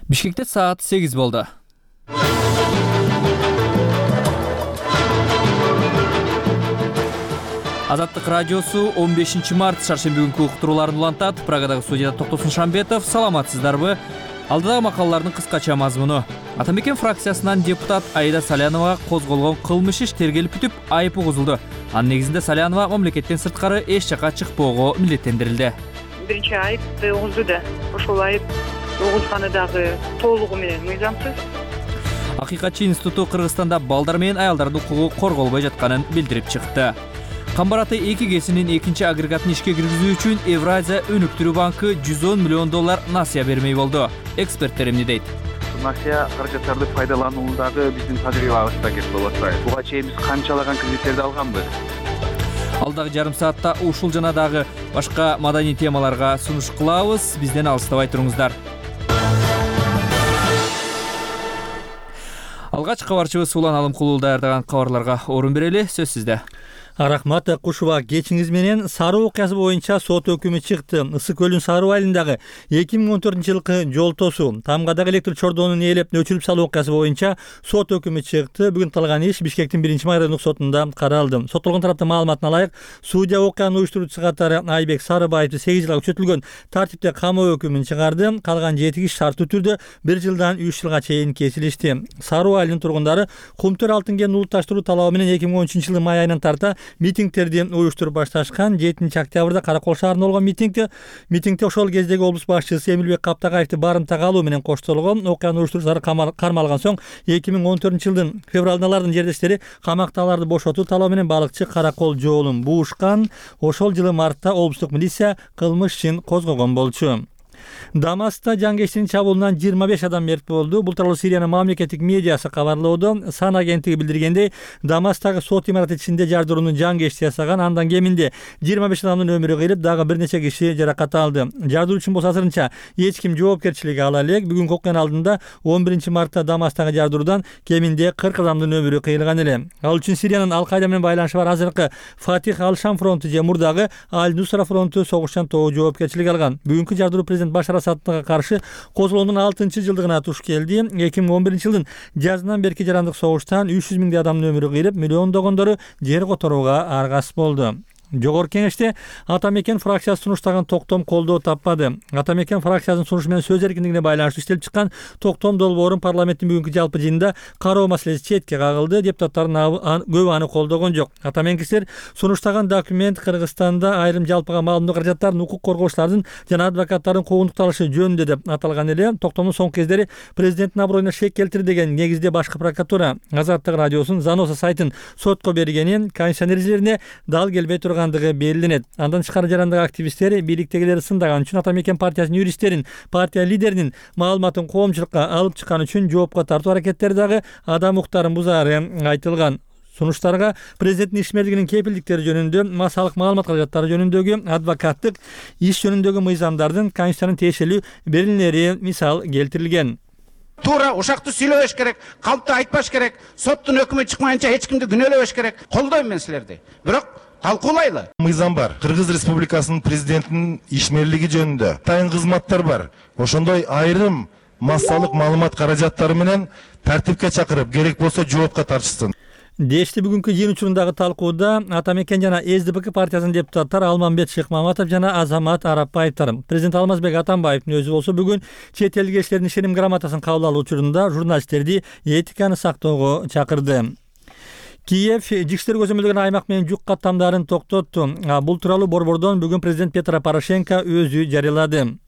Бишкекте саат 8 болду. Азаттык радиосу 15 март шаршемби күнкү уктурууларын улантат. Прагадагы студияда Токтосун Шамбетов. Саламатсыздарбы? Алдыдагы макалалардын кыскача мазмуну. Атамекен фракциясынан депутат Аида Саляновага козголгон кылмыш иш тергелип бүтүп, айып угузулду. Анын негизинде Салянова мамлекеттен сырткары эч жака чыкпоого милдеттендирилди. Биринчи айыпты угузду да, ошол айып угузганы дагы толугу менен мыйзамсыз. Акыйкатчы институту Кыргызстанда балдар менен аялдардын укугу корголбой жатканын билдирип чыкты. Камбар ата 2 КСинин экинчи агрегатын ишке киргизүү үчүн Евразия өнүктүрүү банкы $110 миллион насыя бермей болду. Эксперттер эмне дейт? Насыя каражаттарды пайдалануудагы биздин тажрыйбабызда кетип болот. Буга чейин биз канчалаган кредиттерди алганбыз? Алдагы жарым саатта ушул жана дагы башка маданий темаларга сунуш кылабыз. Бизден алыстабай туруңуздар. Алгач кабарчыбыз Улан Алымкулуу даярдаган кабарларга орун берели. Сөз сизде. Рахмат Кушуба, кечиңиз менен Саруу окуясы боюнча сот өкүмү чыкты. Ысык көлүн Саруу айылындагы 2014-жылкы жол тосуу, Тамгадагы электр чордонун ээлеп өчүрүп салуу окуясы боюнча сот өкүмү чыкты. Бүгүн калган иш Бишкектин 1-май райондук сотунда каралды. Соттолгон тараптын маалыматына ылайык, судья окуяны уюштуруучу катары Айбек Сарыбаевди 8 жылга күчөтүлгөн тартипте камоо өкүмүн чыгарды. Калган 7 киши шарттуу түрдө 1 жылдан 3 жылга чейин кесилишти. Саруу айылынын тургундары Кумтөр алтын кенин улутташтыруу талабы менен 2013-жылы май айынан тарта митингтерди уюштуруп башташкан. 7-октябрда Каракол шаарында болгон митингде ошол кездеги облус башчысы Эмилбек Каптагаевди барымтага алуу менен коштолгон. Окуяны уюштуруучулар кармалган соң 2014-жылдын февралында алардын жердештери камактагыларды бошотуу талабы менен балыкчы Каракол жоолун буушкан. Ошол жылы мартта облустук милиция кылмыш ишин козгогон болчу. Дамаста жангечтин чабуулунан 25 адам мерт болду. Бул тууралуу Сириянын мамлекеттик медиасы кабарлоодо. Сан агенттиги билдиргендей, Дамастагы сот имараты ичинде жардырууну жангечти жасаган. Андан кеминде 25 адамдын өмүрү кыйылып, дагы бир нече киши жаракат алды. Жардыруучунун болсо азырынча эч ким жоопкерчиликке ала элек. Бүгүнкү окуянын алдында 11 мартта Дамастагы жардыруудан кеминде 40 адамдын өмүрү кыйылган эле. Ал үчүн Сириянын Ал-Кайда менен байланышы бар азыркы Фатих Ал-Шам фронту же мурдагы Аль-Нусра фронту согушчан тобу жоопкерчилик алган. Бүгүнкү жардыруу президент Башар Асадга каршы козголгондун 6-жылдыгына туш келди. 2011-жылдын жазынан берки жарандык согуштан 300 миңдей адамдын өмүрү кыйылып, миллиондогондору жер которууга аргасыз болду. Жогорку кеңеште Атамекен фракциясы сунуштаган токтом колдоо таппады. Атамекен фракциясынын сунушу менен сөз эркиндигине байланыштуу иштелип чыккан токтом долбоорун парламенттин бүгүнкү жалпы жыйынында кароо маселеси четке кагылды. Депутаттардын көбү аны колдогон жок. Атамекенчилер сунуштаган документ Кыргызстанда айрым жалпыга маалымдоо каражаттарын укук коргоочулардын жана адвокаттардын куугунтукталышы жөнүндө деп аталган эле. Токтомдун соңку кездери президенттин аброюна шек келтирди деген негизде башкы прокуратура Азаттык радиосунун Заноса сайтын сотко бергенин, конституциянын эрежелерине дал келбей турган белгиленет. Андан тышкары жарандык активисттер бийликтегилерди сындаган үчүн Атамекен партиясынын юристтерин, партия лидеринин маалыматын коомчулукка алып чыккан үчүн жоопко тартуу аракеттери дагы адам укуктарын бузаары айтылган. Сунуштарга президенттин ишмердигинин кепилдиктери жөнүндө, массалык маалымат каражаттары жөнүндөгү, адвокаттык иш жөнүндөгү мыйзамдардын конституциянын тиешелүү берилмелери мисал келтирилген. Туура ушакты сүйлөбөш керек, калпты айтпаш керек, соттун өкүмү чыкмайынча эч кимди күнөөлөбөш керек. Колдойм мен силерди. Бирок талкуулайлы. Мыйзам бар. Кыргыз Республикасынын президентинин ишмерлиги жөнүндө тайын кызматтар бар. Ошондой айрым массалык маалымат каражаттары менен тартипке чакырып, керек болсо жоопко тартышсын. Дешти бүгүнкү жыйын учурундагы талкууда Атамекен жана СДПК партиясынын депутаттары Алмамбет Шыкмаматов жана Азамат Арапбаевдер. Президент Алмазбек Атамбаевдин өзү болсо бүгүн чет элдик элчилердин ишеним грамотасын кабыл алуу учурунда журналисттерди этиканы сактоого чакырды. Киев ички иштер көзөмөлдөгөн аймак менен жүк каттамдарын токтотту. Бул тууралуу борбордон бүгүн президент Петро Порошенко өзү жарыялады.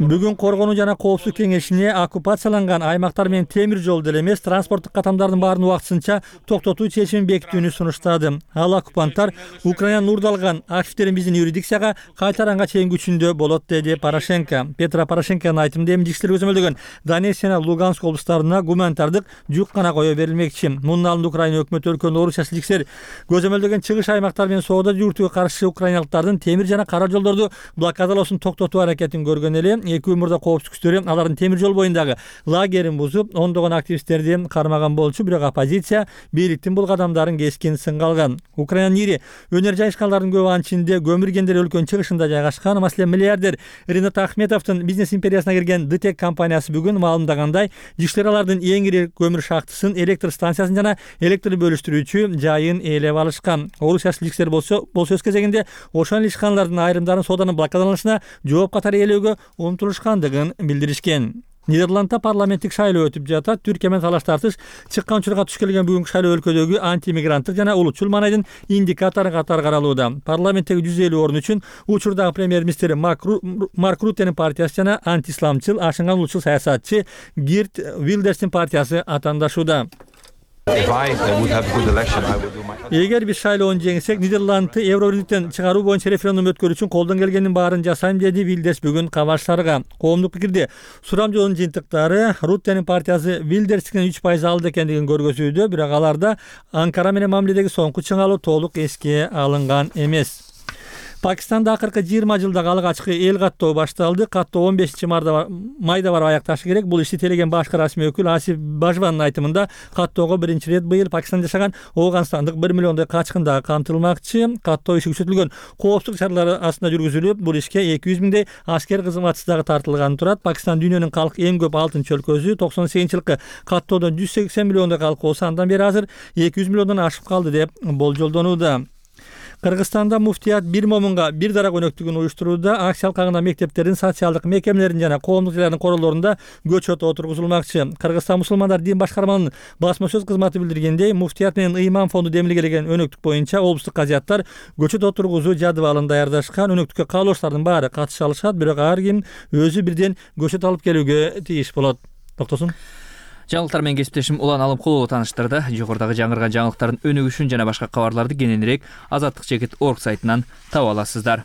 Бүгүн коргонуу жана коопсуздук кеңешине оккупацияланган аймактар менен темир жол деле эмес, транспорттук каттамдардын баарын убактысынча токтотуу чечимин бекитүүнү сунуштады. Ал оккупанттар Украинанын уурдалган активдерин биздин юрисдикцияга кайтаранга чейин күчүндө болот, деди Порошенко. Петро Порошенконун айтымында эми ички иштер көзөмөлдөгөн Донецк жана Луганск облустарына гуманитардык жүк кана кое берилмекчи. Мунун алдында Украина өкмөтү өлкөнүн орусчасы ички иштер көзөмөлдөгөн чыгыш аймактар менен соода жүрүтүүгө каршы украиналыктардын темир жана кара жолдорду блокадалоосун токтотуу аракетин көргөн эле эки мурда коопсуздук күчтөрү алардын темир жол боюндагы лагерин бузуп, ондогон активисттерди кармаган болчу, бирок оппозиция бийликтин бул кадамдарын кескин сынга алган. Украинанын ири өнөр жайышкандардын көбү анын ичинде көмүр кендер өлкөнүн чыгышында жайгашкан. Маселен, миллиардер Ринат Ахметовдун бизнес империясына кирген ДТЕК компаниясы бүгүн маалымдагандай, ишчилер алардын эң ири көмүр шахтысын, электр станциясын жана электр бөлүштүрүүчү жайын ээлеп алышкан. Орусия силикчилер болсо өз кезегинде ошол ишканалардын айрымдарын сооданын блокадаланышына жооп катары ээлөөгө умтулушкандыгын билдиришкен. Нидерландда парламенттик шайлоо өтүп жатат. Түркия менен талаш тартыш чыккан учурга туш келген бүгүнкү шайлоо өлкөдөгү антимигранттык жана улутчул маанайдын индикатору катары каралууда. Парламенттеги 150 орун үчүн учурдагы премьер-министр Марк Рутенин партиясы жана антисламчыл, ашынган улутчул саясатчы Гирт Вилдерстин партиясы атаандашууда. Эгер биз шайлоonu жеңсек, Нидерландты Евробирликтен чыгаруу боюнча референдум өткөрүү үчүн колдон келгендин баарын жасайм, деди Вилдерс бүгүн кабарчыларга. Коомдук пикирде сурам жолунун жыйынтыктары Руттенин партиясы Вилдерстин 3% алды экендигин көргөзүүдө, бирок аларда Анкара менен мамиледеги соңку чыңалуу толук эске алынган эмес. Пакистанда акыркы 20 жылдагы алык ачкы эл каттоо башталды. Каттоо 15 майда барып аякташы керек. Бул ишти телеген башкы расмий өкүл Асиф Бажванын айтымында каттоого биринчи ирет быйыл Пакистанда жашаган Ооганстандык 1 миллиондой качкын дагы камтылмакчы. Каттоо иши күчөтүлгөн коопсуздук чаралары астында жүргүзүлүп, бул ишке 200 миңдей аскер кызматчысы дагы тартылган турат. Пакистан дүйнөнүн калк эң көп 6-өлкөсү. 98-жылкы каттоодон 180 миллиондой калк болсо, андан бери азыр 200 миллиондон ашып калды деп болжолдонууда. Кыргызстанда муфтият бир момунга бир дарак өнөктүгүн уюштурууда. Акция алкагында мектептердин, социалдык мекемелердин жана коомдук жайлардын королорунда көчөт отургузулмакчы. Кыргызстан мусулмандар дин башкармалыгынын басма сөз кызматы билдиргендей, муфтият менен ыйман фонду демилгелеген өнөктүк боюнча облустук казияттар көчөт отургузуу жадыбалын даярдашкан. Өнөктүккө каалоочулардын баары катыша алышат, бирок ар ким өзү бирден көчөт алып келүүгө тийиш болот. Токтосун. Жаңылыктар менен кесиптешим Улан Алымкулова тааныштырды. Жогорудагы жаңырган жаңылыктардын өнүгүшүн жана башка кабарларды кененирээк azatlyk.org сайтынан таба аласыздар.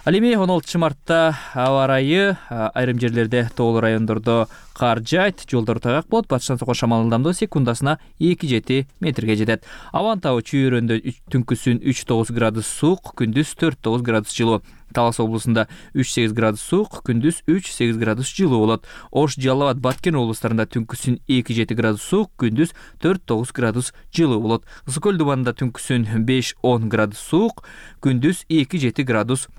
Ал эми 16 мартта аба ырайы айрым жерлерде тоолуу райондордо кар жайт, жолдор тайгак болот. Батыштан соккон шамалдын ылдамдыгы секундасына 2-7 метрге жетет. Абанын табы чүйөрөндө түнкүсүн 3-9 градус суук, күндүз 4-9 градус жылуу. Талас облусунда 3-8 градус суук, күндүз 3-8 градус жылуу болот. Ош, Жалал Абад, Баткен облустарында түнкүсүн 2-7 градус суук, күндүз 4-9 градус жылуу болот. Ысык көл дубанында түнкүсүн 5-10 градус суук, күндүз 2-7 градус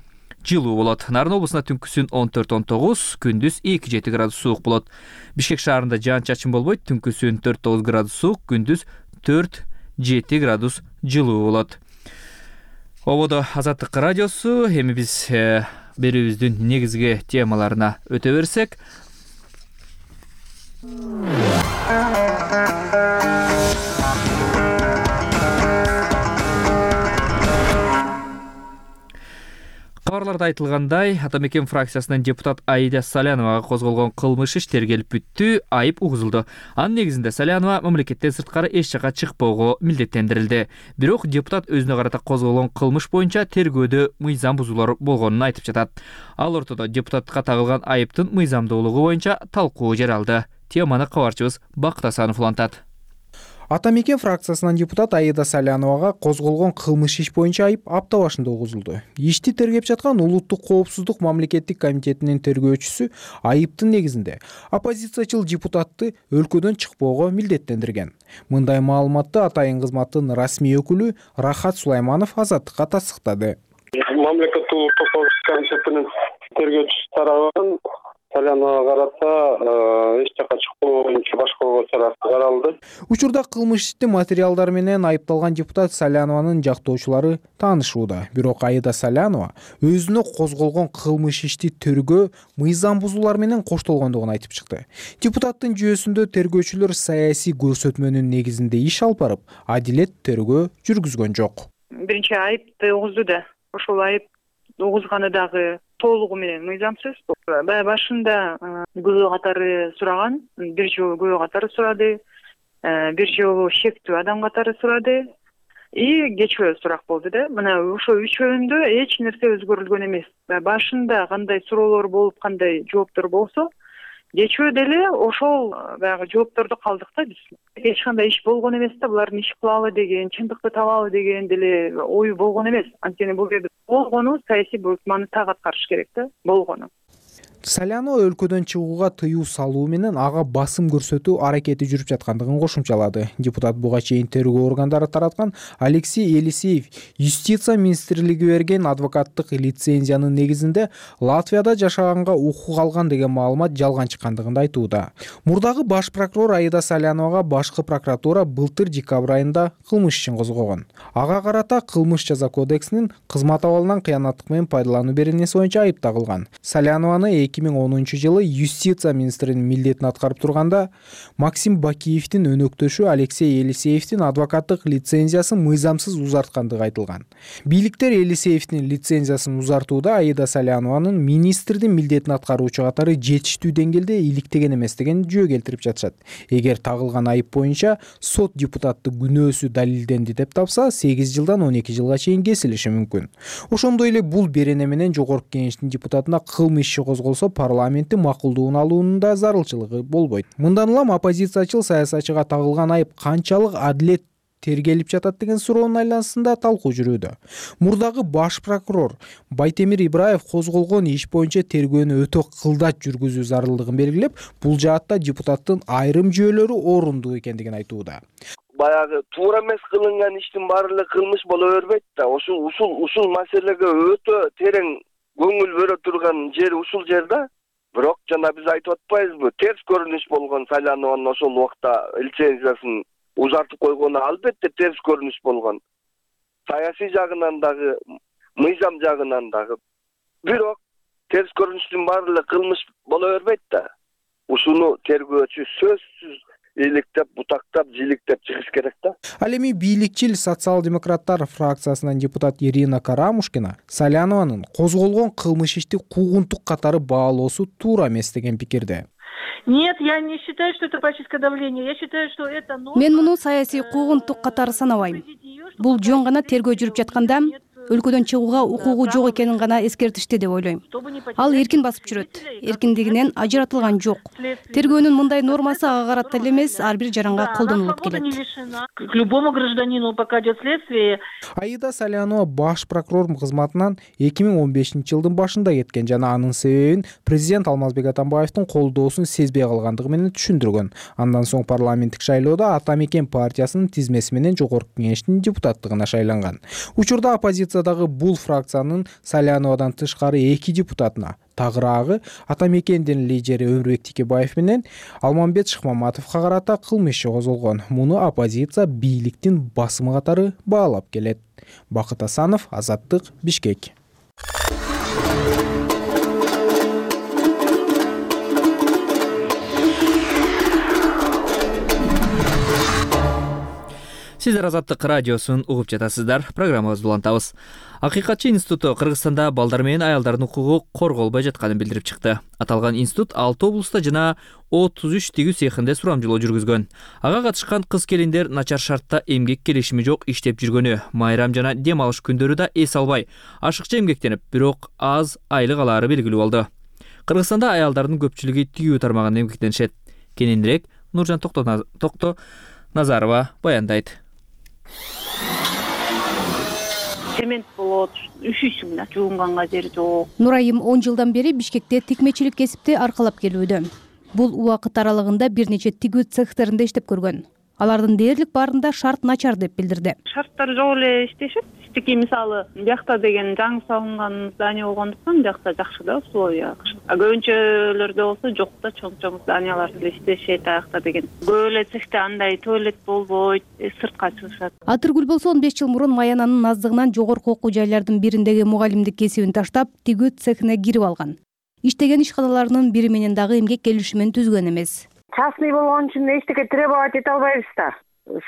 жылуу болот. Нарын облусунда түнкүсүн 14-19, күндүз 2-7 градус суук болот. Бишкек шаарында жаан-чачын болбойт, түнкүсүн 4-9 градус суук, күндүз 4-7 градус жылуу болот. Ободо Азаттык радиосу. Эми биз берүүбүздүн негизги темаларына өтө берсек. Кабарларда айтылгандай, Ата мекен фракциясынын депутат Аида Саляновага козголгон кылмыш иш тергелип бүттү, айып угузулду. Анын негизинде Салянова мамлекеттен сырткары эч жака чыкпоого милдеттендирилди. Бирок депутат өзүнө карата козголгон кылмыш боюнча тергөөдө мыйзам бузуулар болгонун айтып жатат. Ал ортодо депутатка тагылган айыптын мыйзамдуулугу боюнча талкуу жаралды. Теманы кабарчыбыз Бакыт Асанов улантат. Ата мекен фракциясынан депутат Аида Саляновага козголгон кылмыш иш боюнча айып апта башында угузулду. Ишти тергеп жаткан Улуттук коопсуздук мамлекеттик комитетинин тергөөчүсү айыптын негизинде оппозициячыл депутатты өлкөдөн чыкпоого милдеттендирген. Мындай маалыматты Атайын кызматтын расмий өкүлү Рахат Сулайманов Азаттыкка тастыктады. Мамлекеттик улуттук коопсуздук комитетинин тергөөчүсү тарабынан Саляновага карата эч жака чыкпоо боюнча башкаруу чарасы каралды. Учурда кылмыш иштин материалдары менен айыпталган депутат Салянованын жактоочулары таанышууда. Бирок Аида Салянова өзүнө козголгон кылмыш ишти тергөө мыйзам бузуулар менен коштолгондугун айтып чыкты. Депутаттын жүйөсүндө тергөөчүлөр саясий көрсөтмөнүн негизинде иш алып барып, адилет тергөө жүргүзгөн жок. Биринчи айыпты угузду да. Ошол айып угузганы дагы толугу менен мыйзамсыз. Башында күбө катары сураган, бир жолу күбө катары сурады, бир жолу шектүү адам катары сурады и кечөө сурак болду да. Мына ошо үчөөндө эч нерсе өзгөрүлгөн эмес. Башында кандай суроолор болуп, кандай жооптор болсо, кечөө деле ошол баягы жоопторду калдык да биз. Эч кандай иш болгон эмес да, булардын иш кылалы деген, чындыкты табалы деген деле ою болгон эмес. Анткени бул жерде болгону саясий буйртманы так аткарыш керек да, болгону. Салянова өлкөдөн чыгууга тыюу салуу менен ага басым көрсөтүү аракети жүрүп жаткандыгын кошумчалады. Депутат буга чейин тергөө органдары тараткан Алексей Елисеев Юстиция министрлиги берген адвокаттык лицензиянын негизинде Латвияда жашаганга укук алган деген маалымат жалган чыккандыгын айтууда. Мурдагы баш прокурор Аида Саляновага башкы прокуратура былтыр декабрь айында кылмыш ишин козгогон. Ага карата кылмыш жаза кодексинин кызмат абалынан кыянаттык менен пайдалануу беренеси боюнча айып тагылган. Салянованы 2010-жылы Юстиция министринин милдетин аткарып турганда Максим Бакиевдин өнөктөшү Алексей Елисеевдин адвокаттык лицензиясын мыйзамсыз узарткандыгы айтылган. Бийликтер Елисеевдин лицензиясын узартууда Аида Салянованын министрдин милдетин аткаруучу катары жетиштүү деңгээлде иликтеген эмес деген жөө келтирип жатышат. Эгер тагылган айып боюнча сот депутатты күнөөсү далилденди деп тапса, 8 жылдан 12 жылга чейин кесилиши мүмкүн. Ошондой эле бул берене менен жогорку кеңештин депутатына кылмыш иши козголсо, парламенттин макулдугун алуунун да зарылчылыгы болбойт. Мындан улам оппозициячыл саясатчыга тагылган айып канчалык адилет тергелип жатат деген суроонун айланасында талкуу жүрүүдө. Мурдагы баш прокурор Байтемир Ибраев козголгон иш боюнча тергөөнү өтө кылдач жүргүзүү зарылдыгын белгилеп, бул жаатта депутаттын айрым жөөлөрү орундуу экендигин айтууда. Баягы туура эмес кылынган иштин баары эле кылмыш боло бербейт да. Ушул маселеге өтө терең көңүл бөлө турган жер ушул жерде. Бирок жана биз айтып атпайбызбы, терс көрүнүш болгон Салянованын ошол убакта лицензиясын узартып койгону албетте терс көрүнүш болгон. Саясий жагынан дагы, мыйзам жагынан дагы. Бирок терс көрүнүштүн баары эле кылмыш боло бербейт да. Ушуну тергөөчү сөзсүз иликтеп, бутактап, жиликтеп чыгыш керек да. Ал эми бийликчил социал-демократтар фракциясынан депутат Ирина Карамушкина Салянованын козголгон кылмыш ишти куугунтук катары баалоосу туура эмес деген пикирде. Нет, я не считаю, что это политическое давление. Я считаю, что это норма. Мен муну саясий куугунтук катары санабайм. Бул жөн гана тергөө жүрүп жатканда өлкөдөн чыгууга укугу жок экенин гана эскертишти деп ойлойм. Ал эркин басып жүрөт, эркиндигинен ажыратылган жок. Тергөөнүн мындай нормасы ага карата эле эмес, ар бир жаранга колдонулуп келет. К любому гражданину, пока идет следствие. Аида Салянова баш прокурор кызматынан 2015-жылдын башында кеткен жана анын себебин президент Алмазбек Атамбаевдин колдоосун сезбей калгандыгы менен түшүндүргөн. Андан соң парламенттик шайлоодо Ата Мекен партиясынын тизмеси менен жогорку кеңештин депутаттыгына шайланган. Учурда оппозициядагы бул фракциянын Саляновадан тышкары 2 депутатына, тагыраагы Ата Мекендин лидери Өмүрбек Текебаев менен Алмамбет Шыкмаматовго карата кылмыш иши козголгон. Муну оппозиция бийликтин басымы катары баалап келет. Бакыт Асанов, Азаттык, Бишкек. Сиздер Азаттык радиосун угуп жатасыздар. Программабызды улантабыз. Акыйкатчы институту Кыргызстанда балдар менен аялдардын укугу корголбой жатканын билдирип чыкты. Аталган институт 6 облуста жана 33 тигүү цехинде сурамжылоо жүргүзгөн. Ага катышкан кыз-келиндер начар шартта эмгек келишими жок иштеп жүргөнү, майрам жана дем алыш күндөрү да эс албай, ашыкча эмгектенип, бирок аз айлык алаары белгилүү болду. Кыргызстанда аялдардын көпчүлүгү тигүү тармагында эмгектенишет. Кененирээк Нуржан Токто Назарова баяндайт. Цемент болот, üşүйсүң да, жуунганга жер жок. Нурайым 10 жылдан бери Бишкекте тикмечилик кесипти аркалап келүүдө. Бул убакыт аралыгында бир нече тигүү цехтеринде иштеп көргөн. Алардын дээрлик баарында шарт начар деп билдирди. Шарттар жок эле иштешет. Тики мисалы биякта деген жаңы салынган здание болгондуктан биякта жакшы да условия. Көбүнчөлөрдө болсо жок да, чоң зданиялар эле иштешет аякта деген. Көп эле цехте андай туалет болбойт, сыртка чыгышат. Атыргүл болсо 15 жыл мурун Маянанын аздыгынан жогорку окуу жайлардын бириндеги мугалимдик кесибин таштап, тигүү цехине кирип алган. Иштеген ишканаларынын бири менен дагы эмгек келишимин түзгөн эмес. Частный болгон үчүн эчтеке требовать эте албайбыз да.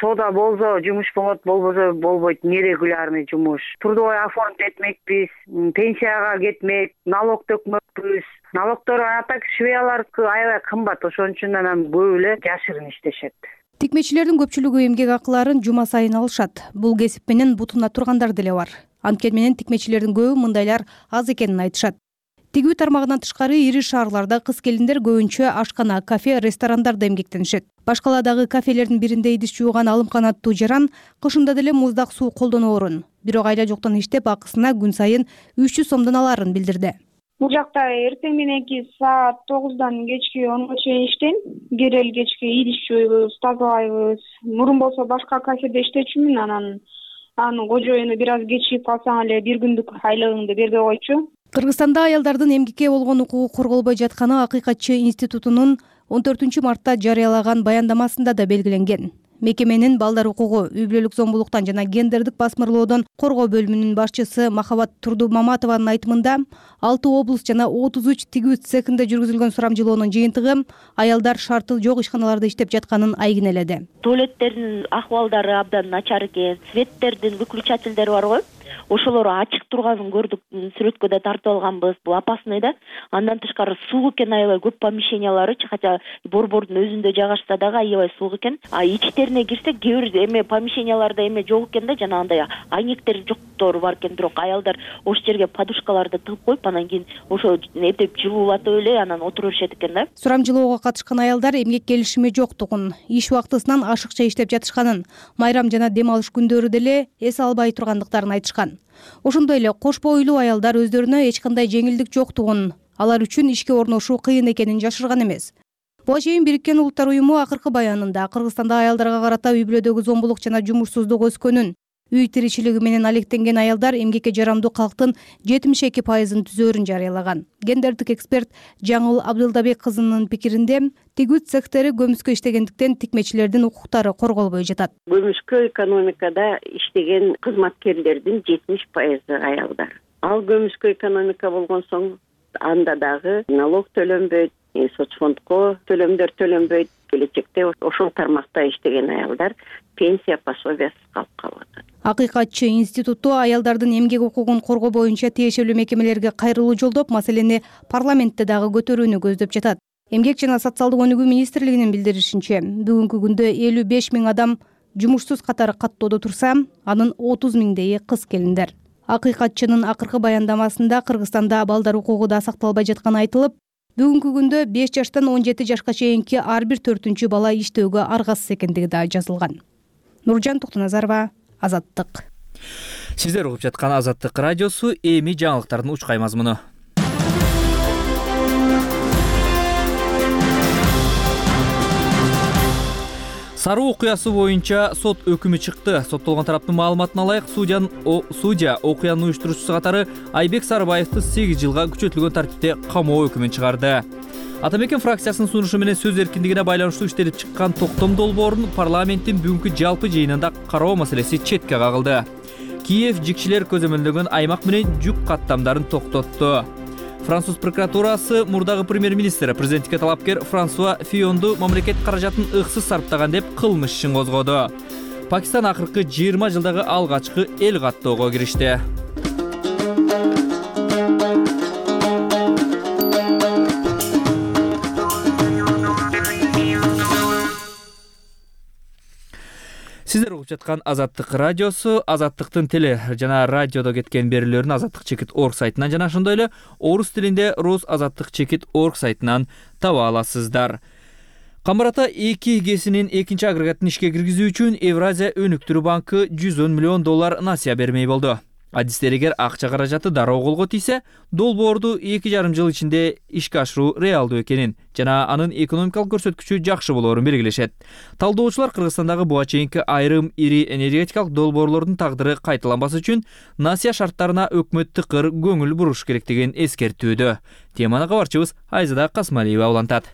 Сода болсо жумуш болот, болбосо болбойт, нерегулярный жумуш. Трудовой оформить этмекпиз, пенсияга кетмек, налог төкмөкпүз. Налогдор атак швеялар аябай кымбат, ошон үчүн анан көп эле жашырын иштешет. Тикмечилердин көпчүлүгү эмгек акыларын жума сайын алышат. Бул кесип менен бутуна тургандар деле бар. Анткени менен тикмечилердин көбү мындайлар аз экенин айтышат. Тигүү тармагынан тышкары ири шаарларда кыз келиндер көбүнчө ашкана, кафе, ресторандарда эмгектенишет. Башкаладагы кафелердин биринде идиш жууган Алымкан аттуу жаран кышында деле муздак суу колдоноорун, бирок айла жоктон иштеп акысына күн сайын 300 сомдон алаарын билдирди. Бул жакта эртең мененки саат 9-дан кечки 10-га чейин иштейм. Кирел кечки идиш жууйбуз, тазалайбыз. Мурун болсо башка кафеде иштечүмүн, анын кожоюну бир аз кечигип калсаң эле бир күндүк айлыгыңды бербей койчу. Кыргызстанда аялдардын эмгекке болгон укугу корголбой жатканы Акыйкатчы институтунун 14 мартта жарыялаган баяндамасында да белгиленген. Мекеменин балдар укугу, үй-бүлөлүк зомбулуктан жана гендердик басмырлоодон коргоо бөлүмүнүн башчысы Махабат Турдумаматованын айтымында 6 облус жана 33 тигүү цехинде жүргүзүлгөн сурамжылоонун жыйынтыгы аялдар шарты жок ишканаларда иштеп жатканын айгинеледи. Туалеттердин акыбалдары абдан начар экен, светтердин выключательдери бар го. Ошолор ачык турганын көрдүк, сүрөткө да тартып алганбыз. Бул опасный да. Андан тышкары суук экен аябай көп помещенияларычы, хотя борбордун өзүндө жайгашса дагы аябай суук экен. Ичтерине кирсек, кээ бир эме помещенияларда эме жок экен да, жана андай айнектер жоктору бар экен, бирок аялдар ошол жерге подушкаларды тыгып коюп, анан кийин ошо эптеп жылуулатып эле анан отура беришет экен да. Сурамжылоого катышкан аялдар эмгек келишими жоктугун, иш убактысынан ашыкча иштеп жатышканын, майрам жана дем алыш күндөрү деле эс албай тургандыктарын айтышкан. Ошондой эле кош бойлуу аялдар өздөрүнө эч кандай жеңилдик жоктугун, алар үчүн ишке орношуу кыйын экенин жашырган эмес. Буга чейин Бириккен Улуттар уюму акыркы баянында Кыргызстанда аялдарга карата үй-бүлөдөгү зомбулук жана жумушсуздук өскөнүн, үй тиричилиги менен алектенген аялдар эмгекке жарамдуу калктын 72% түзөөрүн жарыялаган. Гендердик эксперт Жаңыл Абдылдабек кызынын пикиринде, тигүү цехтери көмүскө иштегендиктен тикмечилердин укуктары корголбой жатат. Көмүскө экономикада иштеген кызматкерлердин 70% аялдар. Ал көмүскө экономика болгон соң анда дагы налог төлөнбөйт, соцфондко төлөмдөр төлөнбөйт. Келечекте ошол тармакта иштеген аялдар пенсия пособиясыз калып калып атат. Акыйкатчы институту аялдардын эмгек укугун коргоо боюнча тиешелүү мекемелерге кайрылуу жолдоп, маселени парламентте дагы көтөрүүнү көздөп жатат. Эмгек жана социалдык өнүгүү министрлигинин билдиришинче, бүгүнкү күндө 55 000 адам жумушсуз катары каттоодо турса, анын 30 000 кыз келиндер. Акыйкатчынын акыркы баяндамасында Кыргызстанда балдар укугу да сакталбай жатканы айтылып, бүгүнкү күндө 5 жаштан 17 жашка чейинки ар бир 4-чү бала иштөөгө аргасыз экендиги да жазылган. Нуржан Токтоназарова, Азаттык. Сиздер угуп жаткан Азаттык радиосу, эми жаңылыктардын учкай мазмуну. Сары окуясы боюнча сот өкүмү чыкты. Соттолгон тараптын маалыматына ылайык, судья окуянын уюштуруучусу катары Айбек Сарыбаевди 8 жылга күчөтүлгөн тартипте камоо өкүмүн чыгарды. Атамекен фракциясынын сунушу менен сөз эркиндигине байланыштуу иштелип чыккан токтом долбоорун парламенттин бүгүнкү жалпы жыйынында кароо маселеси четке кагылды. Киев жикчилер көзөмөлдөгөн аймак менен жүк каттамдарын токтотту. Француз прокуратурасы мурдагы премьер-министр президентке талапкер Франсуа Фионду мамлекет каражатын ыксыз сарптаган деп кылмыш ишин козгоду. Пакистан акыркы 20 жылдагы алгачкы эл каттоого киришти. Сиздер угуп жаткан Азаттык радиосу, Азаттыктын теле жана радиодо кеткен берүүлөрүн azattik.org сайтынан жана ошондой эле орус тилинде rusazattik.org сайтынан таба аласыздар. Камбарата 2 ГЭСинин экинчи агрегатын ишке киргизүү үчүн Евразия өнүктүрүү банкы $110 миллион насыя бермей болду. Адистеригер акча каражаты дароо колго тийсе, долбоорду 2,5 жыл ичинде ишке ашыруу реалдуу экенин жана анын экономикалык көрсөткүчү жакшы болоорун белгилешет. Талдоочулар Кыргызстандагы буга чейинки айрым ири энергетикалык долбоорлордун тагдыры кайталанбас үчүн насыя шарттарына өкмөт тыкыр көңүл буруш керектигин эскертүүдө. Теманы кабарчыбыз Айзада Касмалиева улантат.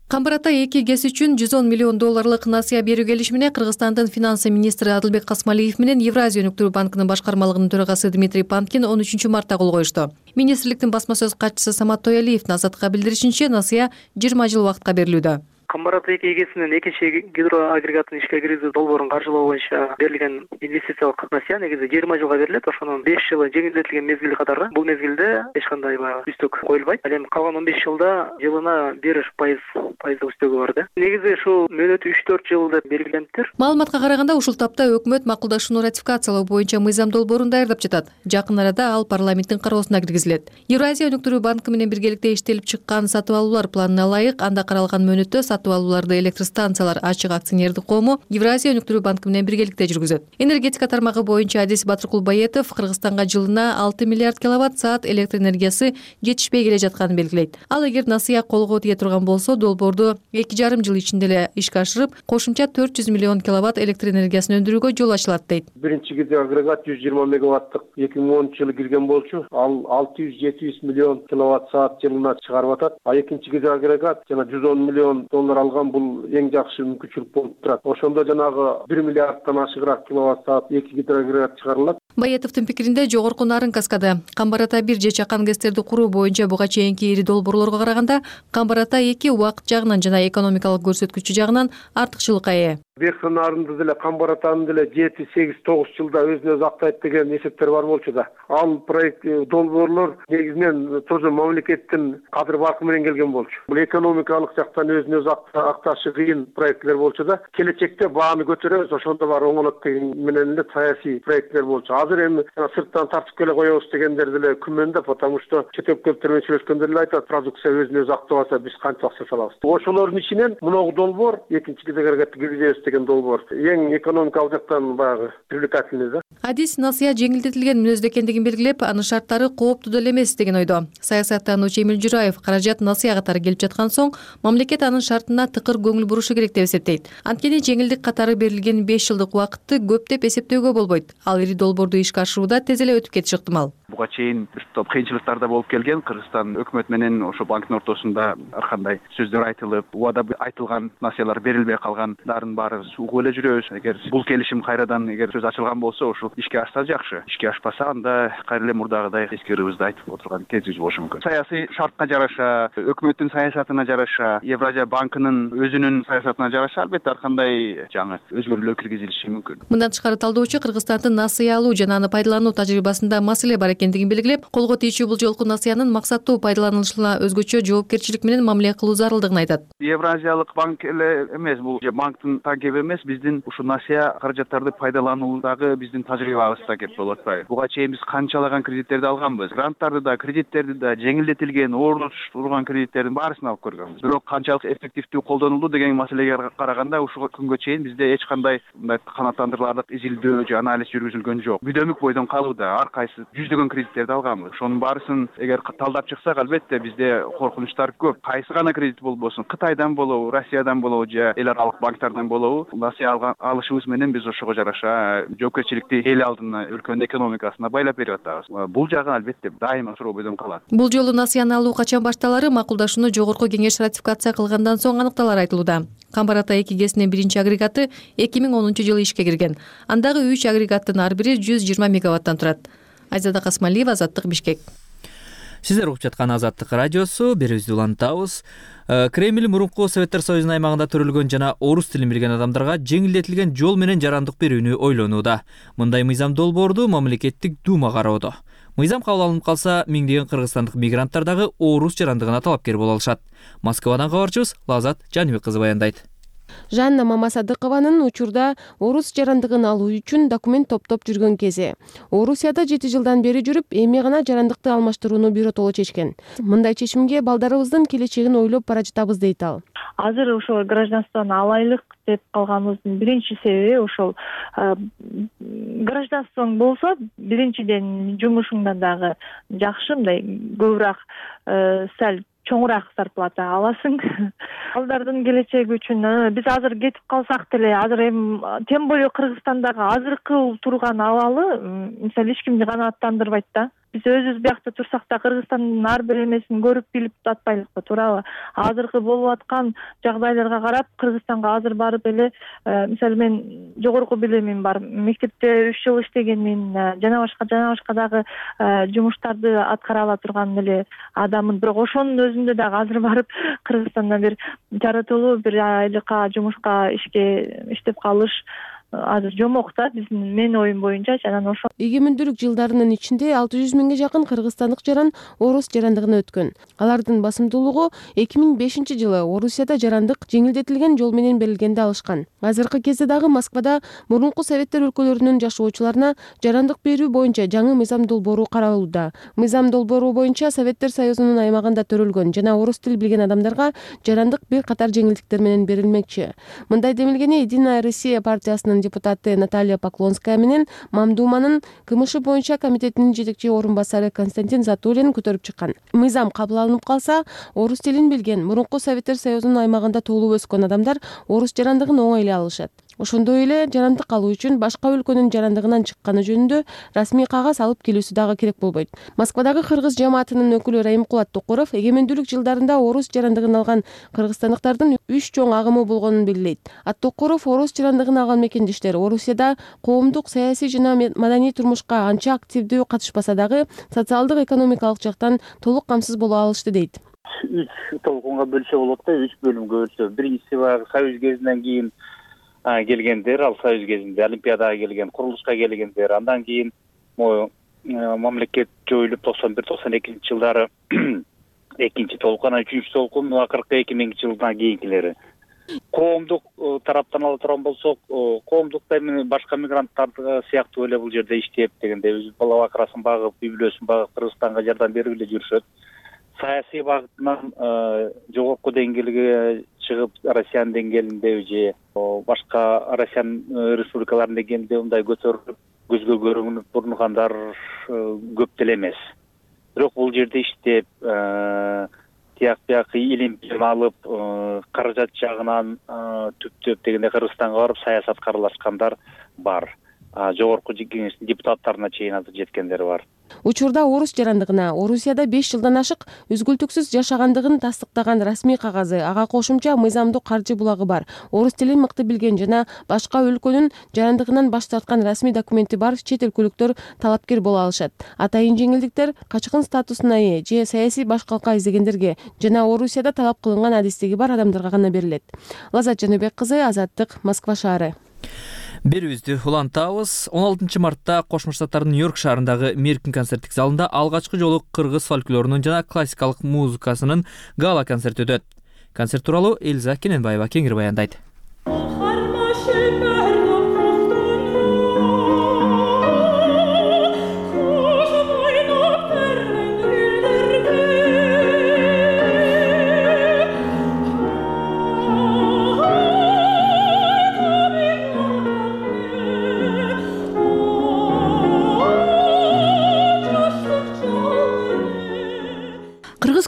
Камбарата 2 ГЭС үчүн $110 миллион насыя берүү келишимине Кыргызстандын финансы министри Адылбек Касмалиев менен Евразия өнүктүрүү банкынын башкармалыгынын төрагасы Дмитрий Панкин 13 мартта кол коюшту. Министрликтин басма сөз катчысы Самат Тоялиевдин Азаттыкка билдиришинче, насыя 20 жыл убакытка берилүүдө. Камбар ата 2 эгесинин экинчи гидроагрегатын ишке киргизүү долбоорун каржылоо боюнча берилген инвестициялык насыя негизи 20 жылга берилет. Ошонун 5 жылы жеңилдетилген мезгили катары. Бул мезгилде эч кандай баягы үстөк коюлбайт. Ал эми калган 15 жылда жылына 1% үстөгү бар да. Негизи ушул мөөнөтү 3-4 жыл деп белгилениптир. Маалыматка караганда ушул тапта өкмөт макулдашууну ратификациялоо боюнча мыйзам долбоорун даярдап жатат. Жакын арада ал парламенттин кароосуна киргизилет. Евразия өнүктүрүү банкы менен биргеликте иштелип чыккан сатып алуулар планына ылайык анда каралган мөөнөттө сатып алууларды электростанциялар ачык акционердик коому Евразия өнүктүрүү банкы менен биргеликте жүргүзөт. Энергетика тармагы боюнча Адис Батыркулбаетов Кыргызстанга жылына 6 миллиард киловатт-саат электр энергиясы жетишпей келе жатканын белгилейт. Ал эгер насыя колго тие турган болсо, долбоорду 2,5 жыл ичинде эле ишке ашырып, кошумча 400 миллион киловатт электр энергиясын өндүрүүгө жол ачылат дейт. Биринчи гидроагрегат 120 мегаваттык 2010 жылы кирген болчу. Ал 600-700 миллион киловатт-саат жылына чыгарып атат. А экинчи гидроагрегат жана 110 миллион доллар алган, бул эң жакшы мүмкүнчүлүк болуп турат. Ошондо жанагы 1 миллиарддан ашыгыраак киловатт-саат 2 гидроагрегат чыгарылат. Баетовдун пикиринде жогорку нарын каскады. Камбар ата 1 же чакан гэстерди куруу боюнча буга чейинки ири долбоорлорго караганда Камбар ата 2 убакыт жагынан жана экономикалык көрсөткүчү жагынан артыкчылыкка ээ. Верхи нарынды деле Камбар атаны деле 7-8-9 жылда өзүн өзү актайт деген эсептер бар болчу да. Ал проект долбоорлор негизинен тоже мамлекеттин кадыр баркы менен келген болчу. Бул экономикалык жактан өзүн өзү акташы кыйын проекттер болчу да. Келечекте бааны көтөрөбүз, ошондо бар оңолот деген менен эле саясий проекттер болчу. Азыр эми сырттан тартып келе коебуз дегендер деле күмөндө, потому что чет өкмөттөр менен сүйлөшкөндө эле айтат, продукция өзүн өзү актап алса биз канча акча салабыз. Ошолордун ичинен мынау долбоор экинчи гидроагрегатты киргизебиз деген долбоор эң экономикалык жактан баягы привлекательный да. Адис насыя жеңилдетилген мүнөздө экендигин белгилеп, анын шарттары кооптуу деле эмес деген ойдо. Саясаттануучу Эмил Жураев каражат насыя катары келип жаткан соң, мамлекет анын шартына тыкыр көңүл бурушу керек деп эсептейт. Анткени жеңилдик катары берилген 5 жылдык убакытты көп деп эсептөөгө болбойт. Ал ири долбоорду ишке ашырууда тез эле өтүп кетиши ыктымал. Буга чейин топ кыйынчылыктар болуп келген. Кыргызстан өкмөт менен ошо банктын ортосунда ар кандай сөздөр айтылып, убада айтылган насыялар берилбей калгандардын баары угуп эле жүрөбүз. Эгер бул келишим кайрадан эгер сөз ачылган болсо, ошол ишке ашса жакшы. Ишке ашпаса, анда кайра эле мурдагыдай эскерүүбүздү айтып отурган кезибиз болушу мүмкүн. Саясий шартка жараша, өкмөттүн саясатына жараша, Евразия банкынын өзүнүн саясатына жараша албетте ар кандай жаңы өзгөрүүлөр киргизилиши мүмкүн. Мындан тышкары талдоочу Кыргызстандын насыя алуу жана аны пайдалануу тажрыйбасында маселе бар экендигин белгилеп, колго тийчү бул жолку насыянын максаттуу пайдаланылышына өзгөчө жоопкерчилик менен мамиле кылуу зарылдыгын айтат. Евразиялык банк эле эмес, бул банктын такеби эмес, биздин ушул насыя каражаттарды пайдалануудагы биздин тажрыйбабызда кеп болуп атпайбы. Буга чейин биз канчалаган кредиттерди алганбыз. Гранттарды да, кредиттерди да, жеңилдетилген, ордо турган кредиттердин баарысын алып көргөнбүз. Бирок канчалык эффективдүү колдонулду деген маселеге караганда ушул күнгө чейин бизде эч кандай мындай канааттандырыларлык изилдөө же анализ жүргүзүлгөн жок. Бүдөмүк бойдон калууда, ар кайсы жүздөгөн кредиттерди алганбыз. Ошонун баарысын эгер талдап чыксак, албетте бизде коркунучтар көп. Кайсы гана кредит болбосун, Кытайдан болобу, Россиядан болобу же эл аралык банктардан болобу, насыя алышыбыз менен биз ошого жараша жоопкерчиликти эл алдына, өлкөнүн экономикасына байлап берип атабыз. Бул жагы албетте дайыма суроо бойдон калат. Бул жолу насыяны алуу качан башталары макулдашууну жогорку кеңеш ратификация кылгандан соң аныкталары айтылууда. Камбар ата 2 гэсинин биринчи агрегаты 2010 жылы ишке кирген. Андагы 3 агрегаттын ар бири 120 мегаваттан турат. Айзада Касмалиева, Азаттык, Бишкек. Сиздер угуп жаткан Азаттык радиосу, берүүбүздү улантабыз. Кремль мурунку Советтер Союзунун аймагында төрөлгөн жана орус тилин билген адамдарга жеңилдетилген жол менен жарандык берүүнү ойлонууда. Мындай мыйзам долбоорду мамлекеттик дума кароодо. Мыйзам кабыл алынып калса, миңдеген кыргызстандык мигранттар дагы орус жарандыгына талапкер боло алышат. Москвадан кабарчыбыз Лазат Жаныбек кызы баяндайт. Жанна Мамасадыкованын учурда орус жарандыгын алуу үчүн документ топтоп жүргөн кези. Орусияда 7 жылдан бери жүрүп, эми гана жарандыкты алмаштырууну биротоло чечкен. Мындай чечимге балдарыбыздын келечегин ойлоп бара жатабыз дейт ал. Азыр ошол гражданствону алайлык деп калганыбыздын биринчи себеби ошол гражданствоң болсо, биринчиден жумушуңдан дагы жакшы, мындай көбүрөөк сал чоңураак зарплата аласың. Балдардын келечеги үчүн биз азыр кетип калсак деле, азыр эми тем более Кыргызстандагы азыркы турган абалы мисалы эч кимди канааттандырбайт да. биз өзүбүз биякта турсак да Кыргызстандын ар бир эмесин көрүп билип атпайлыкпы, туурабы? Азыркы болуп аткан жагдайларга карап Кыргызстанга азыр барып эле мисалы мен жогорку билимим бар, мектепте 3 жыл иштегенмин, жана башка дагы жумуштарды аткара ала турган эле адаммын. Бирок ошонун өзүндө дагы азыр барып Кыргызстанда бир жаратылуу бир айлыкка жумушка иштеп калыш азыр жомок да менин оюм боюнчачы. Анан ошо эгемендүүлүк жылдарынын ичинде 600 миңге жакын кыргызстандык жаран орус жарандыгына өткөн. Алардын басымдуулугу 2005 жылы Орусияда жарандык жеңилдетилген жол менен берилгенди алышкан. Азыркы кезде дагы Москвада мурунку советтер өлкөлөрүнүн жашоочуларына жарандык берүү боюнча жаңы мыйзам долбоору каралууда. Мыйзам долбоору боюнча Советтер Союзунун аймагында төрөлгөн жана орус тил билген адамдарга жарандык бир катар жеңилдиктер менен берилмекчи. Мындай демилгени Единая Россия партиясынын депутаты Наталья Поклонская менен Мамдуманын КМШ боюнча комитетинин жетекчи орун басары Константин Затулин көтөрүп чыккан. Мыйзам кабыл алынып калса, орус тилин билген мурунку Советтер Союзунун аймагында туулуп өскөн адамдар орус жарандыгын оңой эле алышат. Ошондой эле жарандык алуу үчүн башка өлкөнүн жарандыгынан чыкканы жөнүндө расмий кагаз алып келүүсү дагы керек болбойт. Москвадагы кыргыз жамаатынын өкүлү Райымкулат Токуров эгемендүүлүк жылдарында орус жарандыгын алган кыргызстандыктардын 3 чоң агымы болгонун белгилейт. Токуров орус жарандыгын алган мекендештер Орусияда коомдук, саясий жана маданий турмушка анча активдүү катышпаса дагы социалдык, экономикалык жактан толук камсыз боло алышты дейт. 3 толкунга бөлсө болот да, 3 бөлүмгө бөлсө. Биринчиси баягы Союз кезинен кийин келгендер, ал Союз кезинде Олимпиадага келген, курулушка келгендер, андан кийин мамлекет жоюлуп 91-92 жылдары экинчи толкун, анан 3-үчү толкун акыркы 2000 жылдан кийинкилери. Коомдук тараптан ала турган болсок, коомдукта башка мигранттар сыяктуу эле бул жерде иштеп дегенде өз бала бакырасын багып, үй бүлөсүн багып Кыргызстанга жардам берип эле жүрүшөт. Саясий багытынан жогорку деңгээлге чыгып, Россиянын деңгээлинде же башка Россиянын республикаларынын деңгээлинде мындай көтөрүлүп, көзгө көрүнүп тургандар көп деле эмес. Бирок бул жерде иштеп, тияк илим алып, каражат жагынан түптөп дегенде Кыргызстанга барып саясатка аралашкандар бар. Жогорку кеңештин депутаттарына чейин азыр жеткендер бар. Учурда орус жарандыгына Орусияда 5 жылдан ашык үзгүлтүксүз жашагандыгын тастыктаган расмий кагазы, ага кошумча мыйзамдуу каржы булагы бар. Орус тилин мыкты билген жана башка өлкөнүн жарандыгынан баш тарткан расмий документи бар чет өлкөлүктөр талапкер боло алышат. Атайын жеңилдиктер качкын статусуна ээ же саясий башкалка издегендерге жана Орусияда талап кылынган адистиги бар адамдарга гана берилет. Лазат Жаныбек кызы, Азаттык, Москва шаары. Берүүбүздү улантабыз. 16 мартта Кошмо Штаттардын Нью-Йорк шаарындагы Меркин концерттик залында алгачкы жолу кыргыз фольклорунун жана классикалык музыкасынын гала концерти өтөт. Концерт тууралуу Элза Кененбаева кеңири баяндайт.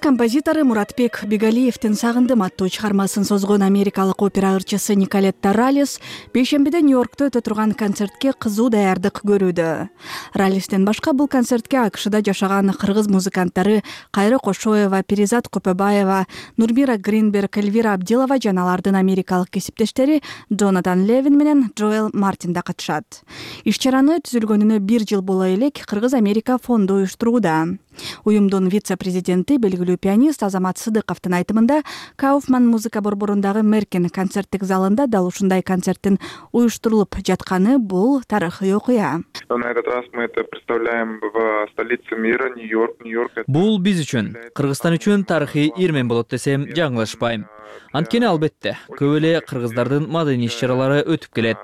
Композитору Муратбек Бегалиевдин «Сагындым» аттуу чыгармасын созгон америкалык опера ырчысы Николетта Ралис бейшембиде Нью-Йоркто өтө турган концертке кызуу даярдык көрүүдө. Ралистен башка бул концертке АКШда жашаган кыргыз музыканттары Кайры Кошоева, Перизат Копебаева, Нурмира Гринберг, Эльвира Абдилова жана алардын америкалык кесиптештери Джонатан Левин менен Джоэл Мартин да катышат. Иш-чараны түзүлгөнүнө 1 жыл боло элек Кыргыз-Америка фонду уюштурууда. Уюмдун вице-президенти, белгилүү пианист Азамат Сыдыковдун айтымында, Кауфман музыка борборундагы Меркин концерттик залында дал ушундай концерттин уюштурулуп жатканы бул тарыхый окуя. На этот раз мы это представляем в столице мира, Нью-Йорк. Бул биз үчүн, Кыргызстан үчүн тарыхый ирмен болот десем жаңылышпайм. Анткени албетте, көп эле кыргыздардын маданий иш-чаралары өтүп келет.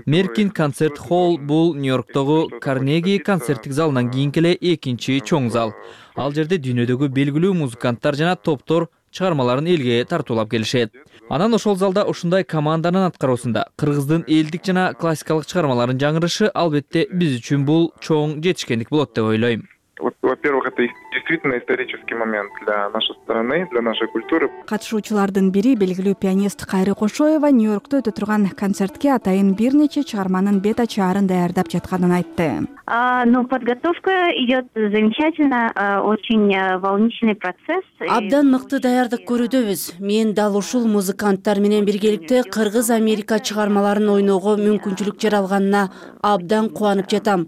Меркин концерт холл бул Нью-Йорктогу Карнеги концерттик залынан кийинки эле экинчи чоң зал. Ал жерде дүйнөдөгү белгилүү музыканттар жана топтор чыгармаларын элге тартуулап келишет. Анан ошол залда ушундай команданын аткаруусунда кыргыздын элдик жана классикалык чыгармаларын жаңырышы албетте биз үчүн бул чоң жетишкендик болот деп ойлойм. Во-первых, это действительно исторический момент для нашей страны, для нашей культуры. Катышуучулардын бири белгилүү пианист Кайры Кошоева Нью-Йоркто өтө турган концертке атайын бир нече чыгарманын бет ачаарын даярдап жатканын айтты. Подготовка идет замечательно, очень волнительный процесс. Абдан мыкты даярдык көрүүдөбүз. Мен дал ушул музыканттар менен биргеликте Кыргыз Америка чыгармаларын ойноого мүмкүнчүлүк жаралганына абдан кубанып жатам.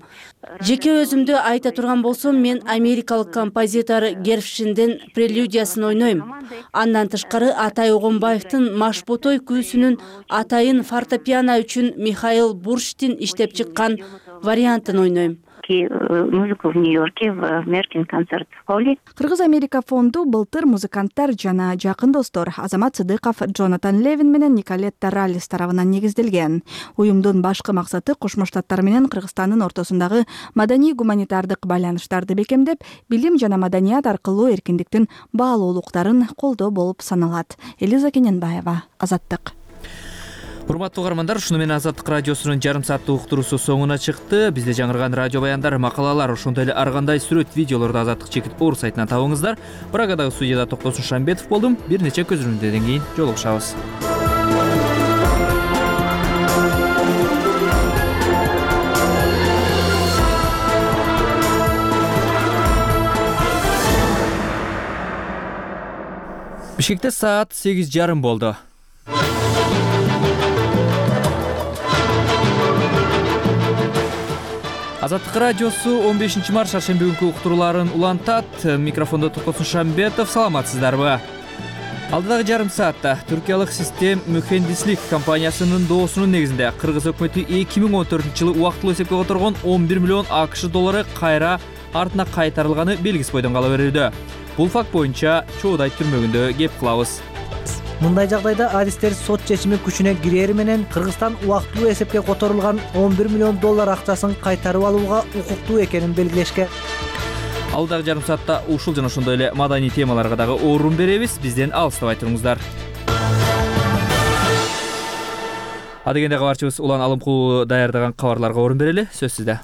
Жеке өзүмдү айта турган болсом, мен америкалык композитор Гершвиндин прелюдиясын ойнойм. Андан тышкары Атай Огонбаевдин Машботой күүсүнүн атайын фортепиано үчүн Михаил Бурштин иштеп чыккан вариантын ойнойм. Музыку в Нью-Йорке в Меркин концерт холле. Кыргыз Америка фонду былтыр музыканттар жана жакын достор Азамат Сыдыков, Джонатан Левин менен Николетта Раллис тарабынан негизделген. Уюмдун башкы максаты Кошмо Штаттар менен Кыргызстандын ортосундагы маданий-гуманитардык байланыштарды бекемдеп, билим жана маданият аркылуу эркиндиктин баалуулуктарын колдоо болуп саналат. Элиза Кененбаева, Азаттык. Урматтуу угармандар, ушуну менен Азаттык радиосунун жарым сааттык уктуруусу соңуна чыкты. Бизде жаңырган радио баяндар, макалалар, ошондой эле ар кандай сүрөт, видеолорду Азаттык-org сайтынан табыңыздар. Прагадагы студияда Токтосун Шамбетов болдум. Бир нече көзөрүмдөрдөн кийин жолугушабыз. Бишкекте саат 8:30 болду. Азаттык радиосу 15-март шаршемби күнкү уктурууларын улантат. Микрофондо Токтосун Шамбетов. Саламатсыздарбы? Алдыдагы жарым саатта түркиялык Систем Mühendislik компаниясынын доосунун негизинде Кыргыз өкмөтү 2014-жылы убактылуу эсепке которгон 11 миллион АКШ доллары кайра артына кайтарылганы белгиси бойдон кала берүүдө. Бул факт боюнча Чоудай түрмөгүндө кеп кылабыз. Мындай жагдайда адистер сот чечими күчүнө кирери менен Кыргызстан убактылуу эсепке которулган 11 миллион доллар акчасын кайтарып алууга укуктуу экенин белгилешкен. Алдагы жарым саатта ушул жана ошондой эле маданий темаларга дагы орун беребиз. Бизден алыстабай туруңуздар. Адегенде кабарчыбыз Улан Алымкулов даярдаган кабарларга орун берели. Сөз сизде.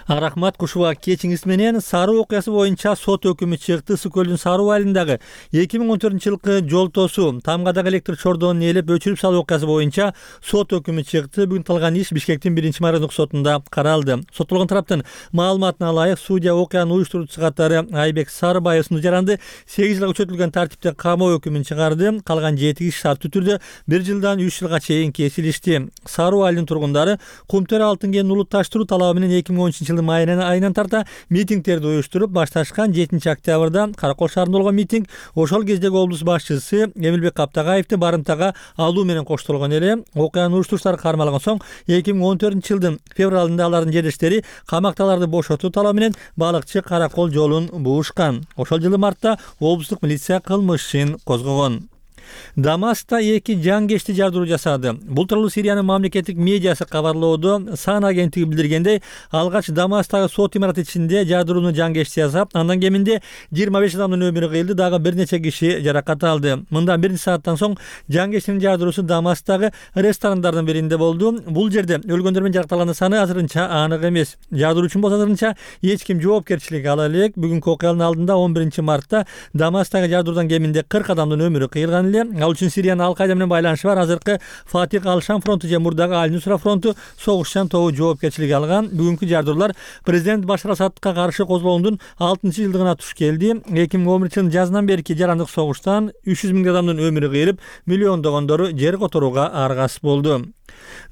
Рахмат, Кушуба кечиңиз менен Саруу окуясы боюнча сот өкүмү чыкты. Ысык көлдүн Саруу айылындагы 2014-жылкы жол тосуу, Тамгадагы электр чордонун ээлеп өчүрүп салуу окуясы боюнча сот өкүмү чыкты. Бүгүн кылган иш Бишкектин 1-майрындык сотунда каралды. Соттолгон тараптын маалыматына ылайык, судья окуянын уюштуруучу катары Айбек Сарыбаев жаранды 8 жылга күчөтүлгөн тартипте камоо өкүмүн чыгарды. Калган 7 киши шартты түрдө 1 жылдан 3 жылга чейин кесилишти. Саруу айылынын тургундары Кумтөр алтын кенин улутташтыруу талабы менен 2013-жылы айынан тарта митингдерди уюштуруп башташкан. 7-октябрда Каракол шаарында болгон митинг ошол кездеги облус башчысы Эмилбек Каптагаевди барымтага алуу менен коштолгон эле. Окуянын уюштуруучулары кармалган соң 2014-жылдын февралында алардын жерлештери камакталарды бошотуу талабы менен балыкчы Каракол жолун буушкан. Ошол жылы мартта облустук милиция кылмыш ишин козгогон. Дамаста 2 жангешти жардыруу жасады. Бул тууралуу Сириянын мамлекеттик медиасы кабарлоодо. Сан агенттиги билдиргендей, алгач Дамастагы сот имараты ичинде жардырууну жангешти жасап, андан кеминде 25 адамдын өмүрү кыйылды, дагы бир нече киши жаракат алды. Мындан 1 сааттан соң жангештин жардыруусу Дамастагы ресторандардын биринде болду. Бул жерде өлгөндөр менен жаракатталгандын саны азырынча анык эмес. Жардыруучу болсо азырынча эч ким жоопкерчилик ала элек. Бүгүнкү окуянын алдында 11-мартта Дамастагы жардыруудан кеминде 40 адамдын өмүрү кыйылган эле. Ал үчүн Сириянын Ал-Кайда менен байланышы бар азыркы Фатих Ал-Шам фронту же мурдагы Аль-Нусра фронту согушчан тобу жоопкерчилик алган. Бүгүнкү жардыруулар президент Башар Асадка каршы козголгондун 6-жылдыгына туш келди. 2011-жылдын жазынан берки жарандык согуштан 300 миң адамдын өмүрү кыйылып, миллиондогондору жер которууга аргасыз болду.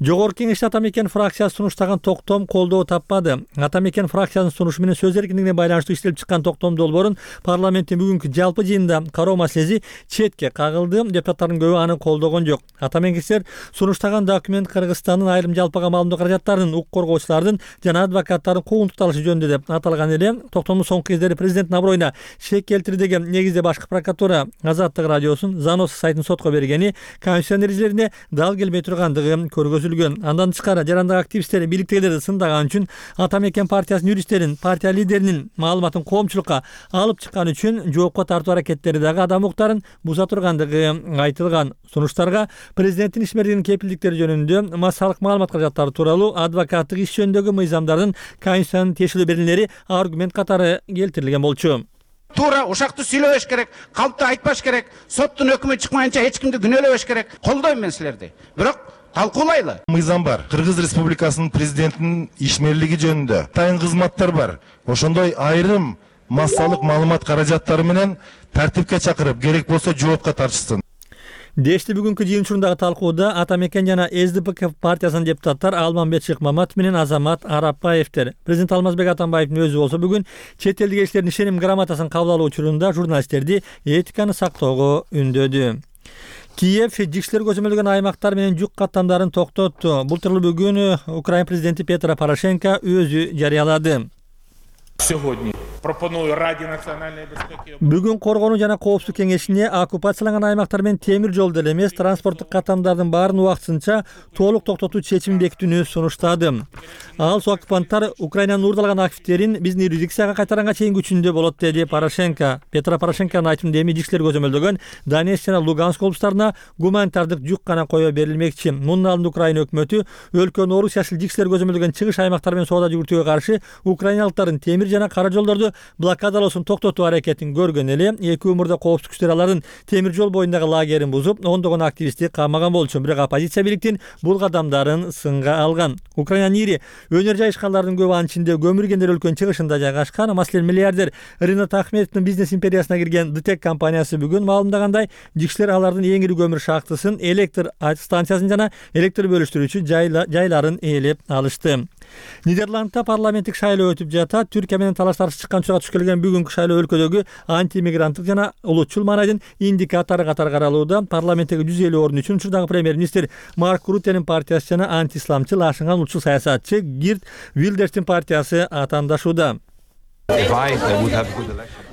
Жогорку Кеңеште Ата Мекен фракциясы сунуштаган токтом колдоо таппады. Ата Мекен фракциясынын сунушу менен сөз эркиндигине байланыштуу иштелип чыккан токтом долбоорун парламенттин бүгүнкү жалпы жыйынында кароо маселеси четке кагылды. Депутаттардын көбү аны колдогон жок. Ата Мекенчилер сунуштаган документ Кыргызстандын айрым жалпыга маалымдоо каражаттарынын, укук коргоочулардын жана адвокаттардын куугунтукталышы жөнүндө деп аталган эле. Токтомдун соңку кездери президенттин аброюна шек келтири деген негизде башкы прокуратура Азаттык радиосунун Занос сайтын сотко бергени конституциянын эрежелерине дал келбей тургандыгы көргөзүлгөн. Андан тышкары жарандык активисттер бийликтегилерди сындаган үчүн Ата Мекен партиясынын юристтерин, партия лидеринин маалыматын коомчулукка алып чыккан үчүн жоопко тартуу аракеттери дагы адам укуктарын буза тургандыгы айтылган. Сунуштарга президенттин ишмердигинин кепилдиктери жөнүндө массалык маалымат каражаттары тууралуу адвокаттык иш жөнүндөгү мыйзамдардын конституциянын тиешелүү беренелери аргумент катары келтирилген болчу. Туура ушакты сүйлөбөш керек, калпты айтпаш керек, соттун өкүмү чыкмайынча эч кимди күнөөлөбөш керек. Колдойм мен силерди. Бирок талкуулайлы. Мыйзам бар. Кыргыз Республикасынын президентинин ишмерлиги жөнүндө тайын кызматтар бар. Ошондой айрым массалык маалымат каражаттары менен тартипке чакырып, керек болсо жоопко тартышсын. Дешти бүгүнкү жыйын учурундагы талкууда Ата Мекен жана СДПК партиясынын депутаттар Алмамбет Шыкмаматов менен Азамат Арапбаевдер. Президент Алмазбек Атамбаевдин өзү болсо бүгүн чет элдик элчилердин ишеним грамотасын кабыл алуу учурунда журналисттерди этиканы сактоого үндөдү. Киев жигиштер көзөмөлдөгөн аймактар менен жүк каттамдарын токтотту. Бул тууралуу бүгүн Украина президенти Петро Порошенко өзү жарыялады. Бүгүн Коргонуу жана коопсуздук кеңешине оккупацияланган аймактар менен темир жолду эле эмес, транспорттук каттамдардын баарын убактысынча толук токтотуу чечимин бекитүүнү сунуштады. Ал оккупанттар Украинанын уурдалган активдерин биздин юрисдикцияга кайтаранга чейин күчүндө болот, деди Порошенко. Петро Порошенконун айтымында эми жигиштер көзөмөлдөгөн Донецк жана Луганск облустарына гуманитардык жүк гана кое берилмекчи. Мунун алдында Украина өкмөтү өлкөнүн Орус жашыл жигиштер көзөмөлдөгөн чыгыш аймактары менен соода жүгүртүүгө каршы украиналыктардын темир жана кара жолдорду блокадалоосун токтотуу аракетин көргөн эле эки өмүрдө коопсуздук күчтөр алардын темир жол боюндагы лагерин бузуп, ондогон активистти камаган болчу. Бирок оппозиция бийликтин бул кадамдарын сынга алган. Украинанын ири өнөр жайышкандардын көбү анын ичинде көмүргендер өлкөнүн чыгышында жайгашкан. Маселен, миллиардер Ринат Ахметовдун бизнес империясына кирген ДТЭК компаниясы бүгүн маалымдагандай, жигиштер алардын эң ири көмүр шахтысын, электр станциясын жана электр бөлүштүрүүчү жайларын ээлеп алышты. Нидерландта парламенттик шайлоо өтүп жатат. Түркия менен талаш-тартыш чыккан учурга туш келген бүгүнкү шайлоо өлкөдөгү антимигранттык жана улутчул маанайдын индикатору катары каралууда. Парламенттеги 150 орун үчүн учурдагы премьер-министр Марк Рутенин партиясы жана антисламчыл ашынган улутчул саясатчы Гирт Вилдерстин партиясы атаандашууда.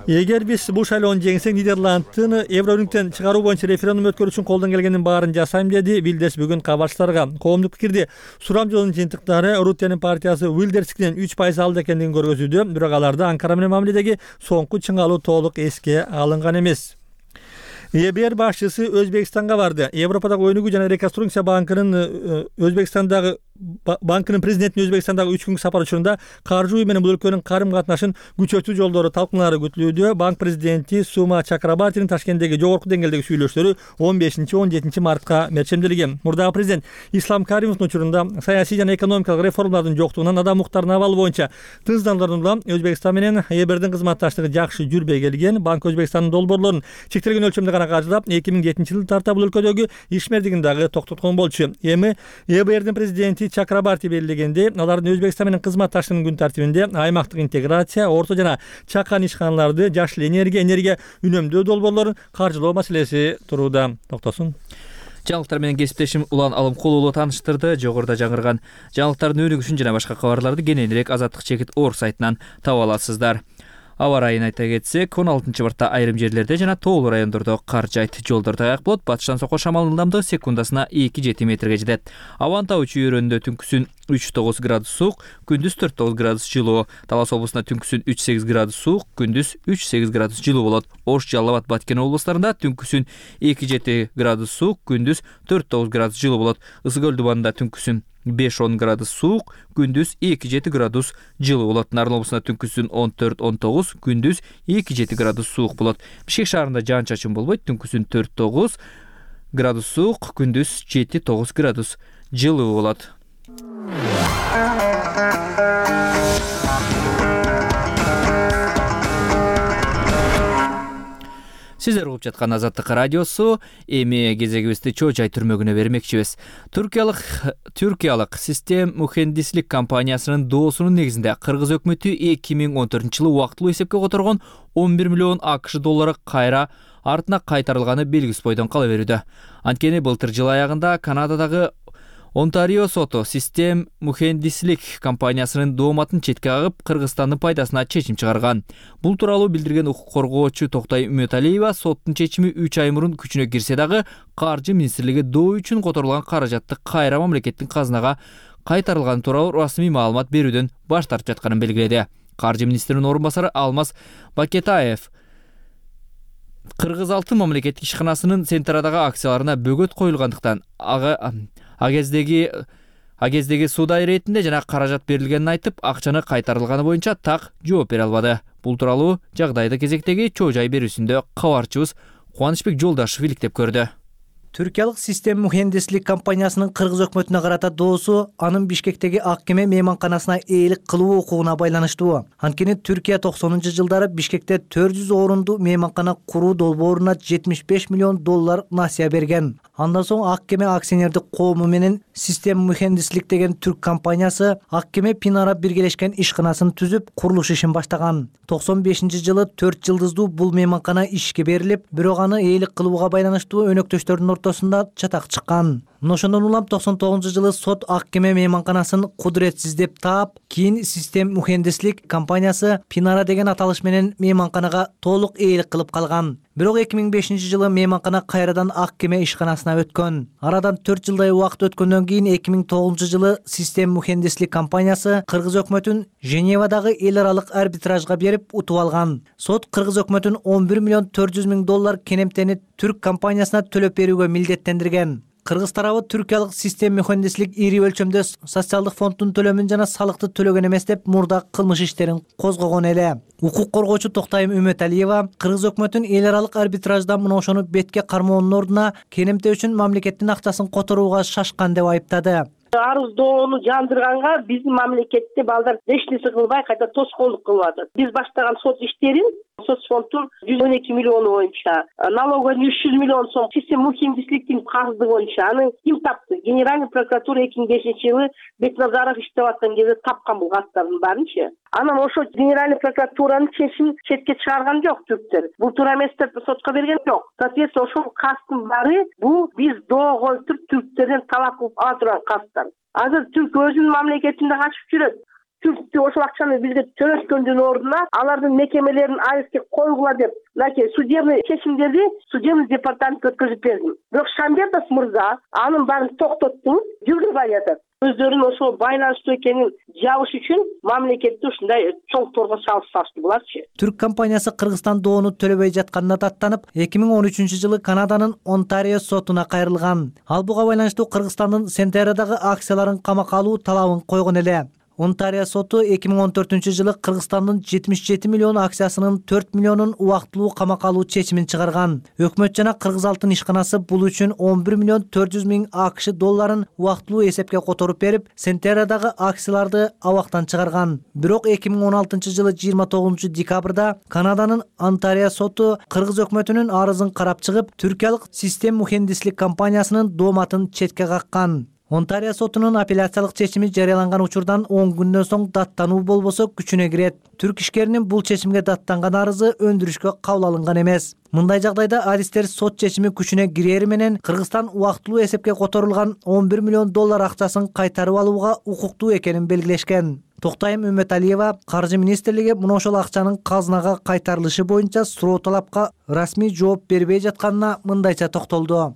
Эгер биз бул шайлоону жеңсек, Нидерландтын Еврорынктен чыгаруу боюнча референдум өткөрүү үчүн колдон келгендин баарын жасайм, деди Вилдерс бүгүн кабарчыларга. Коомдук пикирди сурам жолунун жыйынтыктары Рутенин партиясы Вилдерскинен 3% алды экендигин көргөзүүдө, бирок аларда Анкара менен мамиледеги соңку чыңалуу толук эске алынган эмес. ЕБР башчысы Өзбекстанга барды. Европадагы өнүгүү жана реконструкция банкынын президентинин Өзбекстандагы 3 күнлүк сапар учурунда каржы уюму менен бул өлкөнүн карым катнашын күчөтүү жолдору талкуулары күтүлүүдө. Банк президенти Сума Чакрабартинин Ташкенттеги жогорку деңгээлдеги сүйлөшүүлөрү 15-17 мартка мерчемделген. Мурдагы президент Ислам Каримовдун учурунда саясий жана экономикалык реформалардын жоктугунан адам укуктарынын абалы боюнча тынчсыздандырууну улам Өзбекстан менен ЕБРдин кызматташтыгы жакшы жүрбөй келген. Банк Өзбекстандын долбоорлорун чектелген өлчөмдө гана каржылап, 2007-жылы тарта бул өлкөдөгү ишмердигин дагы токтоткон болчу. Эми ЕБРдин президенти Чакрабарти белгилегендей, алардын Өзбекстан менен кызматташтыгынын күн тартибинде аймактык интеграция, орто жана чакан ишканаларды, жашыл энергия үнөмдөө долбоорлорун каржылоо маселеси турууда. Токтосун. Жаңылыктар менен кесиптешим Улан Алымкулуулу тааныштырды. Жогоруда жаңырган жаңылыктардын өнүгүшүн жана башка кабарларды кененирээк Азаттык чекит Орг сайтынан таба аласыздар. Аба ырайын айта кетсек, 16-мартта айрым жерлерде жана тоолуу райондордо кар жайт. Жолдор таяк болот. Батыштан сокко шамалдын ылдамдыгы секундасына 2-7 метрге жетет. Абанын тау чүйөрүндө түнкүсүн 3-9 градус суук, күндүз 4-9 градус жылуу. Талас облусунда түнкүсүн 3-8 градус суук, күндүз 3-8 градус жылуу болот. Ош, Жалал абад, Баткен облустарында түнкүсүн 2-7 градус суук, күндүз 4-9 градус жылуу болот. Ысык көл дубанында түнкүсүн 5-10 градус суук, күндүз 2-7 градус жылуу болот. Нарын облусунда түнкүсүн 14-19, күндүз 2-7 градус суук болот. Бишкек шаарында жаан-чачын болбойт, түнкүсүн 4-9 градус суук, күндүз 7-9 градус жылуу болот. Сиздер угуп жаткан Азаттык радиосу. Эми кезегибизди Чоо Жай түрмөгүнө бермекчибиз. Түркиялык Систем Мухендислик компаниясынын доосунун негизинде Кыргыз өкмөтү 2014-жылы убактылуу эсепке которгон 11 миллион АКШ доллары кайра артына кайтарылганы белгисиз бойдон кала берүүдө. Анткени былтыр жыл аягында Канададагы Онтарио соту Систем мухендислик компаниясынын дооматын четке кагып, Кыргызстандын пайдасына чечим чыгарган. Бул тууралуу билдирген укук коргоочу Токтай Үмөталиева, соттун чечими 3 ай мурун күчүнө кирсе дагы, Каржы министрлиги доо үчүн которулган каражатты кайра мамлекеттин казынага кайтарылганы тууралуу расмий маалымат берүүдөн баш тартып жатканын белгиледи. Каржы министринин орун басары Алмаз Бакетаев Кыргыз Алтын мамлекеттик ишканасынын Сентерадагы акцияларына бөгөт коюлгандыктан а кездеги суда иретинде жана каражат берилгенин айтып, акчаны кайтарылганы боюнча так жооп бере албады. Бул тууралуу жагдайды кезектеги чоо жай берүүсүндө кабарчыбыз Кубанычбек Жолдашев иликтеп көрдү. Түркиялык Систем мухендислик компаниясынын Кыргыз өкмөтүнө карата доосу анын Бишкектеги ак кеме мейманканасына ээлик кылуу укугуна байланыштуу. Анткени Түркия 90-жылдары Бишкекте 400 орунду мейманкана куруу долбооруна 75 миллион доллар насыя берген. Андан соң ак кеме акционердик коому менен Систем мухендислик деген түрк компаниясы ак кеме Пинара биргелешкен ишканасын түзүп, курулуш ишин баштаган. 95-жылы 4 жылдыздуу бул мейманкана ишке берилип, бирок аны ээлик кылууга байланыштуу өнөктөштөрдүн ортосунда чатак чыккан. Ошондон улам 99-жылы сот ак кеме мейманканасын кудуретсиз деп таап, кийин Систем мухендислик компаниясы Пинара деген аталыш менен мейманканага толук ээлик кылып калган. Бирок 2005-жылы мейманкана кайрадан ак кеме ишканасына өткөн. Арадан 4 жылдай убакыт өткөндөн кийин 2009-жылы Систем мухендислик компаниясы Кыргыз өкмөтүн Женевадагы эл аралык арбитражга берип утуп алган. Сот Кыргыз өкмөтүн 11 миллион 400 миң доллар кенемтени түрк компаниясына төлөп берүүгө милдеттендирген. Кыргыз тарабы Түркиялык Систем мухендислик ири өлчөмдө социалдык фонддун төлөмүн жана салыкты төлөгөн эмес деп мурда кылмыш иштерин козгогон эле. Укук коргоочу Токтай Үмөталиева Кыргыз өкмөтүн эл аралык арбитражда мына ошону бетке кармоонун ордуна кенемте үчүн мамлекеттин акчасын которууга шашкан деп айыптады. Арыз доону жандырганга биздин мамлекетте балдар эч нерсе кылбай кайта тоскоолдук кылып атат. Биз баштаган сот иштерин соцфонддун 112 миллиону боюнча, налоговый 300 миллион сом, Систем мухендисликтин карызы боюнча аны ким тапты? Генеральный прокуратура 2005-жылы Бекназаров иштеп аткан кезде тапкан бул каттардын баарынчы. Анан ошо Генеральный прокуратуранын чечимин четке чыгарган жок түрктөр. Бул туура эмес деп сотко берген жок. Соответственно, ошол касттын баары бул биз доо коюп туруп түрктөрдөн талап кылып ала турган касттар. Азыр түрк өзүнүн мамлекетинде качып жүрөт. Түрк ошол акчаны бизге төлөткөндүн ордуна алардын мекемелерин арестке койгула деп, мынакей судебный чечимдерди судебный департаментке өткөзүп бердим. Бирок Шамбетов мырза анын баарын токтотту, жүргүзбөй жатат. Өздөрүнүн ошол байланыштуу экенин жабыш үчүн мамлекетти ушундай чоң торго салышты буларчы. Түрк компаниясы Кыргызстан доону төлөбөй жатканына даттанып, 2013-жылы Канаданын Онтарио сотуна кайрылган. Ал буга байланыштуу Кыргызстандын Сентерадагы акцияларын камакка алуу талабын койгон эле. Онтарио соту 2014-жылы Кыргызстандын 77 миллион акциясынын 4 миллионун убактылуу камакка алуу чечимин чыгарган. Өкмөт жана Кыргыз Алтын ишканасы бул үчүн 11 миллион 400 миң АКШ долларын убактылуу эсепке которуп берип, Сентерадагы акцияларды абактан чыгарган. Бирок 2016-жылы 29 декабрда Канаданын Онтарио соту Кыргыз өкмөтүнүн арызын карап чыгып, Түркиялык Систем мухендислик компаниясынын дооматын четке каккан. Онтарио сотунун апелляциялык чечими жарыяланган учурдан 10 күндөн соң даттануу болбосо күчүнө кирет. Түрк ишкеринин бул чечимге даттанган арызы өндүрүшкө кабыл алынган эмес. Мындай жагдайда адистер сот чечими күчүнө кирери менен Кыргызстан убактылуу эсепке которулган 11 миллион доллар акчасын кайтарып алууга укуктуу экенин белгилешкен. Токтайым Үмөталиева Каржы министрлиги мына ошол акчанын казынага кайтарылышы боюнча суроо талапка расмий жооп бербей жатканына мындайча токтолду.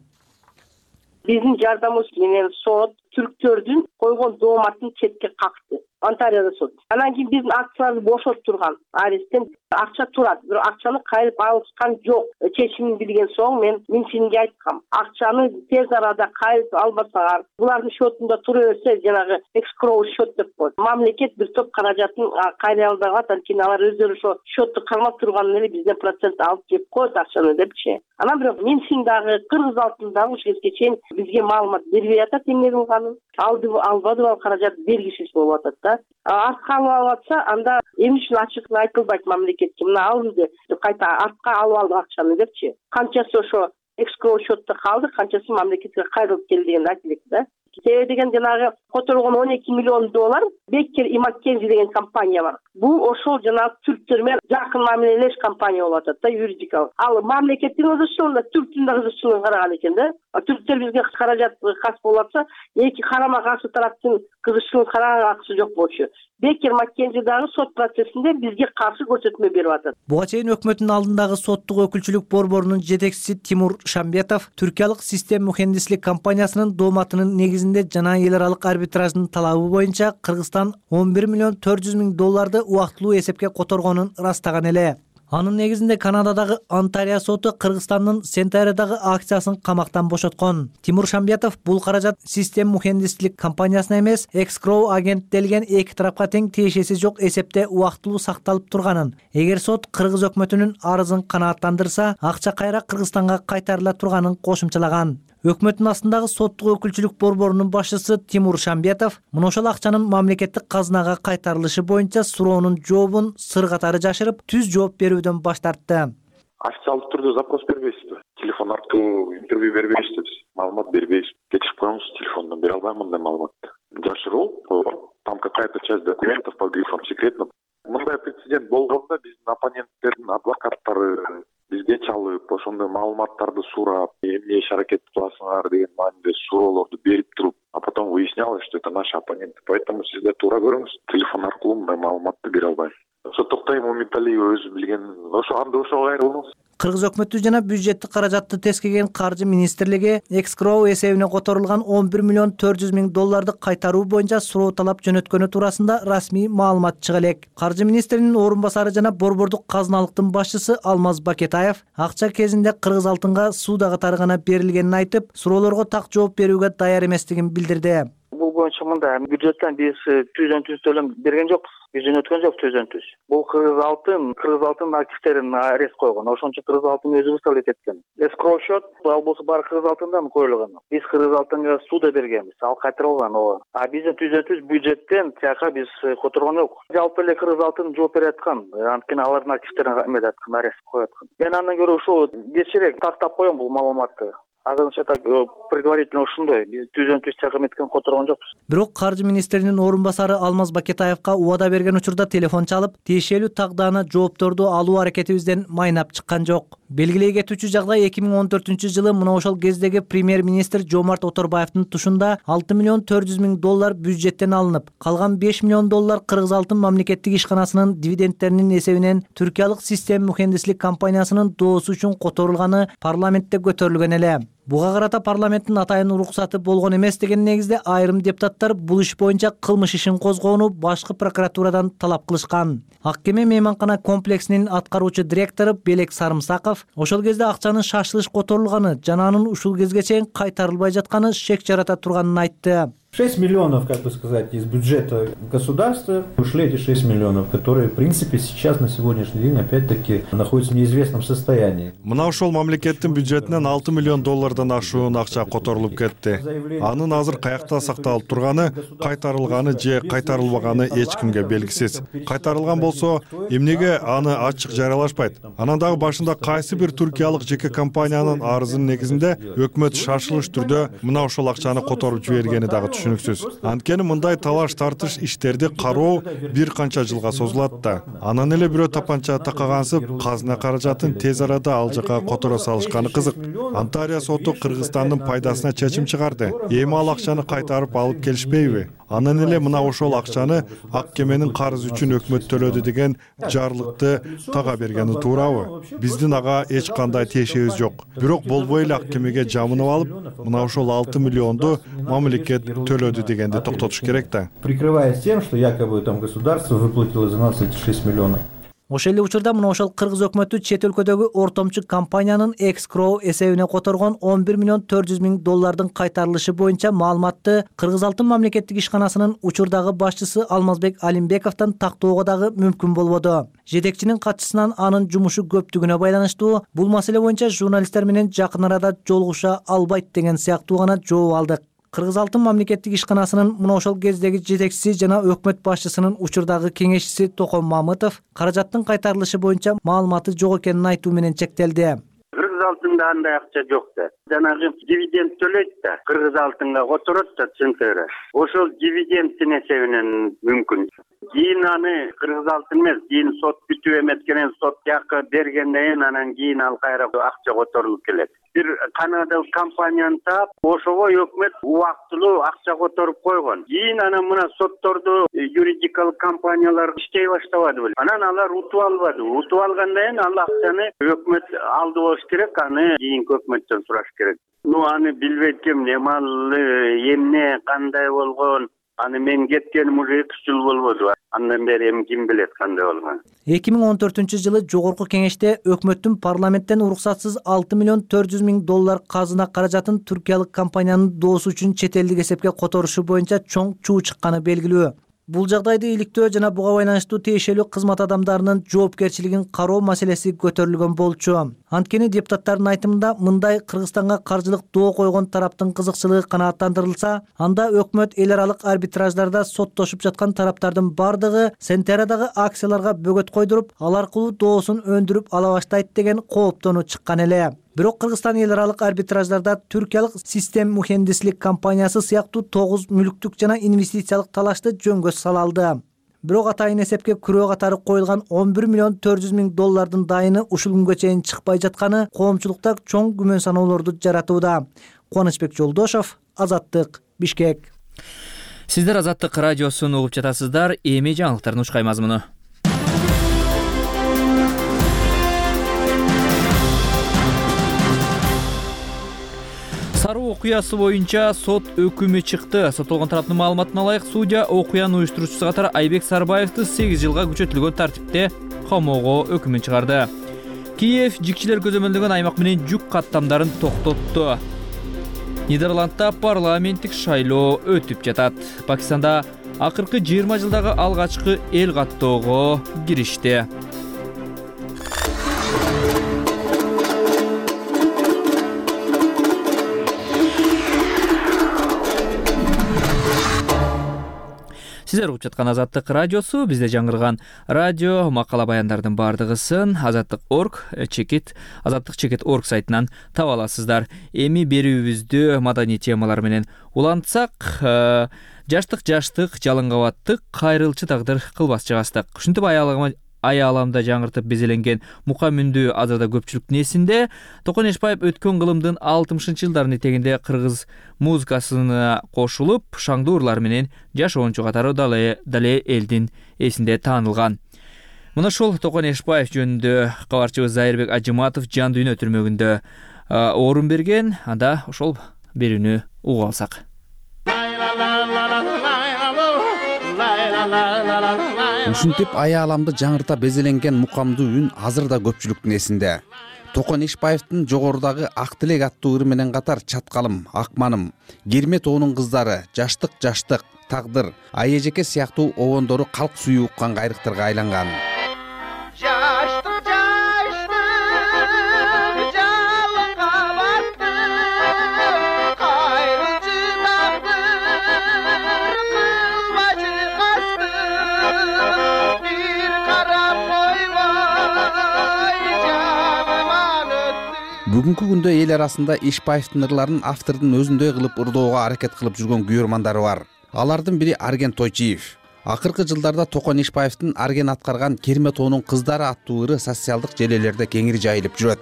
Биздин жардамыбыз менен сот түрктөрдүн койгон дооматын четке какты. Онтариодо сот. Анан кийин биздин акцияларды бошотуп турган аресттен акча турат, бирок акчаны кайрып алышкан жок. Чечимин билген соң мен министрге айткам. Акчаны тез арада кайрып албасаңар, булардын счетунда тура берсе, жанагы экскроу счет деп коет. Мамлекет бир топ каражатын кайрый албай калат, анткени алар өздөрү ошо счетту кармап турганын эле бизден процент алып жеп коет акчаны депчи. Анан бирок министрин дагы Кыргыз Алтын дагы ушул кезге чейин бизге маалымат бербей атат эмне кылганын. Албады ал каражат бергисиз болуп атат да. Артка алып атса, анда эмне үчүн ачык айтылбайт мамлекетке. Мына алынды, кайта артка алып алды акчаны депчи. Канчасы ошо экскроу счетто калды, канчасы мамлекетке кайрылып келди деген айтылат да. Себеби деген жанагы Которулган 12 миллион доллар Беккер и Маккензи деген компания бар. Бул ошол жана түрктөр менен жакын мамилелеш компания болуп атат да, юридикалык. Ал мамлекеттин кызыкчылыгында түрктүн да кызыкчылыгын караган экен да. Түрктөр бизге каражат кас болуп атса, эки карама каршы тараптын кызыкчылыгын караганга акысы жок болчу. Беккер Маккензи дагы сот процессинде бизге каршы көрсөтмө берип атат. Буга чейин өкмөттүн алдындагы соттук өкүлчүлүк борборунун жетекчиси Тимур Шамбетов түркиялык систем мухендислик компаниясынын дооматынын негизинде жана эл аралык арбитраждын талабы боюнча Кыргызстан 11 миллион 400 миң долларды убактылуу эсепке которгонун ырастаган эле. Анын негизинде Канададагы Онтарио соту Кыргызстандын Сентайрадагы акциясын камактан бошоткон. Тимур Шамбетов бул каражат систем мухендислик компаниясына эмес, Escrow агенттелген эки тарапка тең тиешеси жок эсепте убактылуу сакталып турганын. Эгер сот Кыргыз өкмөтүнүн арызын канааттандырса, акча кайра Кыргызстанга кайтарыла турганын кошумчалаган. Өкмөттүн астындагы соттук өкүлчүлүк борборунун башчысы Тимур Шамбетов мына ошол акчанын мамлекеттик казынага кайтарылышы боюнча суроонун жообун сыр катары жашырып, түз жооп берүүдөн баш тартты. Официалдык түрдө запрос бербейсизби? Телефон аркылуу интервью бербейсизби? Маалымат бербейсизби? Кечирип коюңуз, телефондон бере албайм мындай маалыматты. Жашыруу, там какая-то часть документов под грифом секретно. Мындай прецедент болгондо биздин оппоненттердин адвокаттары бизге чалып, ошондой маалыматтарды сурап, эмне иш аракет кыласыңар деген мааниде суроолорду берип туруп, а потом выяснялось, что это наши оппоненты. Поэтому сиз да туура көрүңүз, телефон аркылуу мындай маалыматты бере албайм. Ошо Токтой Мумиталиев өзү билген, ошо анда ошого кайрылыңыз. Кыргыз өкмөтү жана бюджеттик каражатты тескеген каржы министрлиги Escrow эсебине которулган 11 миллион 400 миң долларды кайтаруу боюнча суроо талап жөнөткөнү туурасында расмий маалымат чыга элек. Каржы министринин орун басары жана борбордук казыналыктын башчысы Алмаз Бакетаев акча кезинде Кыргыз алтынга суудагы тарыгана берилгенин айтып, суроолорго так жооп берүүгө даяр эместигин билдирди. Бул боюнча мындай бюджеттен биз түздөн-түз төлөм берген жокпуз. Биз жөнөткөн жок түздөн-түз. Бул Кыргыз алтын активтерин арест койгон. Ошончо Кыргыз алтын өзү высталить эткен. Escrow счет ал болсо баары Кыргыз алтындан коюлган. Биз Кыргыз алтынга суда бергенбиз, ал кайтарылган ооба. А биздин түздөн-түз бюджеттен тияка биз которгон жок. Жалпы эле Кыргыз алтын жооп бере аткан. Анткени алардын активтерин эметип аткан, арест коюп аткан. Мен андан көрө ушул кечирээк тактап коем бул маалыматты. Азырынча так предварительно ушундой. Биз түздөн-түз тияка эметкен которгон жокпуз. Бирок каржы министринин орун басары Алмаз Бакетаевка убада берген учурда телефон чалып, тиешелүү тагданы жоопторду алуу аракетибизден майнап чыккан жок. Белгилей кетүүчү жагдай 2014-жылы мына ошол кездеги премьер-министр Жомарт Оторбаевдин тушунда 6 миллион 400 миң доллар бюджеттен алынып, калган 5 миллион доллар Кыргыз алтын мамлекеттик ишканасынын дивидендтеринин эсебинен түркиялык систем мухендислик компаниясынын доосу үчүн которулганы парламентте көтөрүлгөн эле. Буга карата парламенттин атайын уруксаты болгон эмес деген негизде айрым депутаттар бул иш боюнча кылмыш ишин козгоону башкы прокуратурадан талап кылышкан. Аккеме мейманкана комплексинин аткаруучу директору Белек Сарымсаков ошол кезде акчанын шашылыш которулганы жана анын ушул кезге чейин кайтарылбай жатканы шек жарата турганын айтты. 6 миллионов, как бы сказать, из бюджета государства ушли эти 6 миллионов, которые, в принципе, сейчас на сегодняшний день, опять-таки, находятся в неизвестном состоянии. Мына ошол мамлекеттин бюджетинен 6 миллион доллардан ашуун акча которулуп кетти. Анын азыр каякта сакталып турганы, кайтарылганы же кайтарылбаганы эч кимге белгисиз. Кайтарылган болсо, эмнеге аны ачык жарыялашпайт? Анан дагы башында кайсы бир түркиялык жеке компаниянын арызынын негизинде өкмөт шашылыш түрдө мына ошол акчаны которуп жибергени дагы түшүнүксүз. Анткени мындай талаш тартыш иштерди кароо бир канча жылга созулат да. Анан эле бирөө тапанча такагансып, казына каражатын тез арада ал жака которо салышканы кызык. Онтарио соту Кыргызстандын пайдасына чечим чыгарды. Эми ал акчаны кайтарып алып келишпейби? Анан эле мына ошол акчаны ак кеменин карызы үчүн өкмөт төлөдү деген жарлыкты тага бергени туурабы? Биздин ага эч кандай тиешебиз жок. Бирок болбой эле ак кемеге жамынып алып, мына ошол 6 миллионду мамлекет төлөдү дегенди токтотуш керек да. Прикрываясь тем, что якобы там государство выплатило за нас эти 6 миллионов. Ошол эле учурда мына ошол Кыргыз өкмөтү чет өлкөдөгү ортомчу компаниянын Escrow эсебине которгон 11 миллион 400 миң доллардын кайтарылышы боюнча маалыматты Кыргыз алтын мамлекеттик ишканасынын учурдагы башчысы Алмазбек Алимбековдон тактоого дагы мүмкүн болбоду. Жетекчинин катчысынан анын жумушу көптүгүнө байланыштуу бул маселе боюнча журналисттер менен жакын арада жолугуша албайт деген сыяктуу гана жооп алдык. Кыргыз алтын мамлекеттик ишканасынын мына ошол кездеги жетекчиси жана өкмөт башчысынын учурдагы кеңешчиси Током Мамытов каражаттын кайтарылышы боюнча маалыматы жок экенин айтуу менен чектелди. Кыргыз алтын да андай акча жок да. Жанагы дивиденд төлөйт да, кыргыз алтынга которот да центнери. Ошол дивидендтин эсебинен мүмкүн. Кийин аны кыргыз алтын эмес, кийин сот бүтүп эметкенен сот жакы бергенден кийин анан кийин ал кайра акча которулуп келет. Бир канадалык компанияны таап, ошого өкмөт убактылуу акча которуп койгон. Кийин анан мына соттордо юридикалык компаниялар иштей баштабады беле. Анан алар утуп албады. Утуп алгандан кийин ал акчаны өкмөт алды болуш керек, аны кийинки өкмөттөн сураш керек. Аны билбейт ким, немалы, эмне, кандай болгон. Аны мен кеткеним уже 2 жыл болбоду. Андан бери эми ким билет кандай болгон. 2014-жылы жогорку кеңеште өкмөттүн парламенттен уруксатсыз $6,400,000 казына каражатын туркиялык компаниянын доосу үчүн чет элдик эсепке которушу боюнча чоң чуу чыкканы белгилүү. Бул жагдайды иликтөө жана буга байланыштуу тиешелүү кызмат адамдарынын жоопкерчилигин кароо маселеси көтөрүлгөн болчу. Анткени депутаттардын айтымында мындай Кыргызстанга каржылык доо койгон тараптын кызыкчылыгы канааттандырылса, анда өкмөт эл аралык арбитраждарда соттошуп жаткан тараптардын бардыгы Сентерадагы акцияларга бөгөт койдуруп, ал аркылуу доосун өндүрүп ала баштайт деген кооптонуу чыккан эле. Бирок Кыргызстан эл аралык арбитраждарда түркиялык Систем мухендислик компаниясы сыяктуу 9 мүлктүк жана инвестициялык талашты жөнгө сала алды. Бирок атайын эсепке күрөө катары коюлган $11,400,000 дайыны ушул күнгө чейин чыкпай жатканы коомчулукта чоң күмөн саноолорду жаратууда. Кубанычбек Жолдошов, Азаттык, Бишкек. Сиздер Азаттык радиосун угуп жатасыздар. Эми жаңылыктардын ушкай мазмуну. Саруу окуясы боюнча сот өкүмү чыкты. Соттолгон тараптын маалыматына ылайык, судья окуянын уюштуруучусу катары Айбек Сарбаевди 8 жылга күчөтүлгөн тартипте камоого өкүмүн чыгарды. Киев жикчилер көзөмөлдөгөн аймак менен жүк каттамдарын токтотту. Нидерландда парламенттик шайлоо өтүп жатат. Пакистанда акыркы 20 жылдагы алгачкы эл каттоого киришти. Сиздер угуп жаткан Азаттык радиосу, бизде жаңырган радио макала баяндардын бардыгысын Азаттык.орг Азаттык.орг сайтынан таба аласыздар. Эми берүүбүздү маданий темалар менен улантсак, жаштык, жалын кабаттык, кайрылчы тагдыр кылбас жагастык. Ушинтип аяламда жаңыртып безеленген мука мүндүү азырда көпчүлүктүн эсинде. Токон Эшбаев өткөн кылымдын 60-жылдарын этегинде кыргыз музыкасына кошулуп, шаңдуу ырлар менен жашоончу катары дале элдин эсинде таанылган. Мына ушул Токон Эшбаев жөнүндө кабарчыбыз Зайырбек Ажыматов Жан дүйнө түрмөгүндө орун берген. Анда ошол берүүнү угуп алсак. Ушинтип аяламды жаңырта безеленген мукамдуу үн азырда көпчүлүктүн эсинде. Токон Эшбаевдин жогорудагы Ак тилек аттуу ыры менен катар Чаткалым, Акманым, Кермет оонун кыздары, Жаштык, Тагдыр, Айэжеке сыяктуу обондору калк сүйүү уккан кайрыктарга айланган. Бүгүнкү күндө эл арасында Эшбаевдин ырларын автордун өзүндөй кылып ырдоого аракет кылып жүргөн күйөрмандары бар. Алардын бири Арген Тойчиев. Акыркы жылдарда Токон Эшбаевдин Арген аткарган Кермет оонун кыздары аттуу ыры социалдык желелерде кеңири жайылып жүрөт.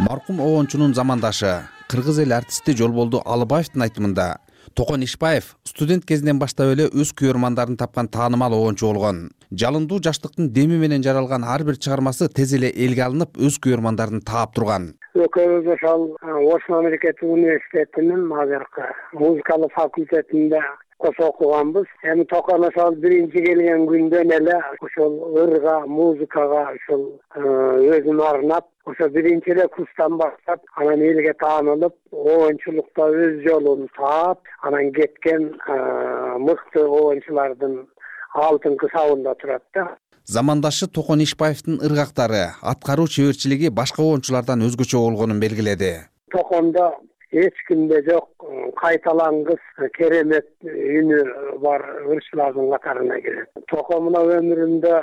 Маркум оончунун замандашы, кыргыз эл артисти Жолболду Алыбаевдин айтымында, Токон Эшбаев студент кезинен баштап эле өз күйөрмандарын тапкан таанымал оончу болгон. Жалындуу жаштыктын деми менен жаралган ар бир чыгармасы тез эле элге алынып, өз күйөрмандарын таап турган. Экөөбүз ошол Ош мамлекеттик университетинин азыркы музыкалык факультетинде кошо окуганбыз. Эми Токон ошол биринчи келген күндөн эле ошол ырга, музыкага ошол өзүн арнап, ошо биринчи эле курстан баштап, анан элге таанылып, оончулукта өз жолун таап, анан кеткен мыкты оончулардын алтынкы сабында турат да. замандашы Токон Ишбаевдин ыргактары, аткаруу чеберчилиги башка оончулардан өзгөчө болгонун белгиледи. Токондо эч кимде жок кайталангыс керемет үнү бар ырчылардын катарына кирет. Токомуна өмүрүндө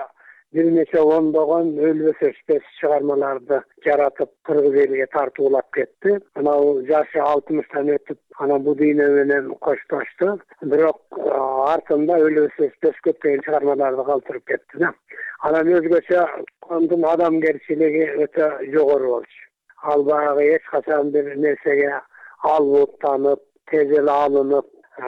бир нече ондогон өлбөс өчпөс чыгармаларды жаратып кыргыз элиге тартуулап кетти. Анау жашы 60тан өтүп анан бул дүйнө менен коштошту. Бирок артында өлбөс өчпөс көптөгөн чыгармаларды калтырып кетти да. Анан өзгөчө ондун адамгерчилиги өтө жогору болчу. Ал баягы эч качан бир нерсеге албуттанып, тез эле алынып,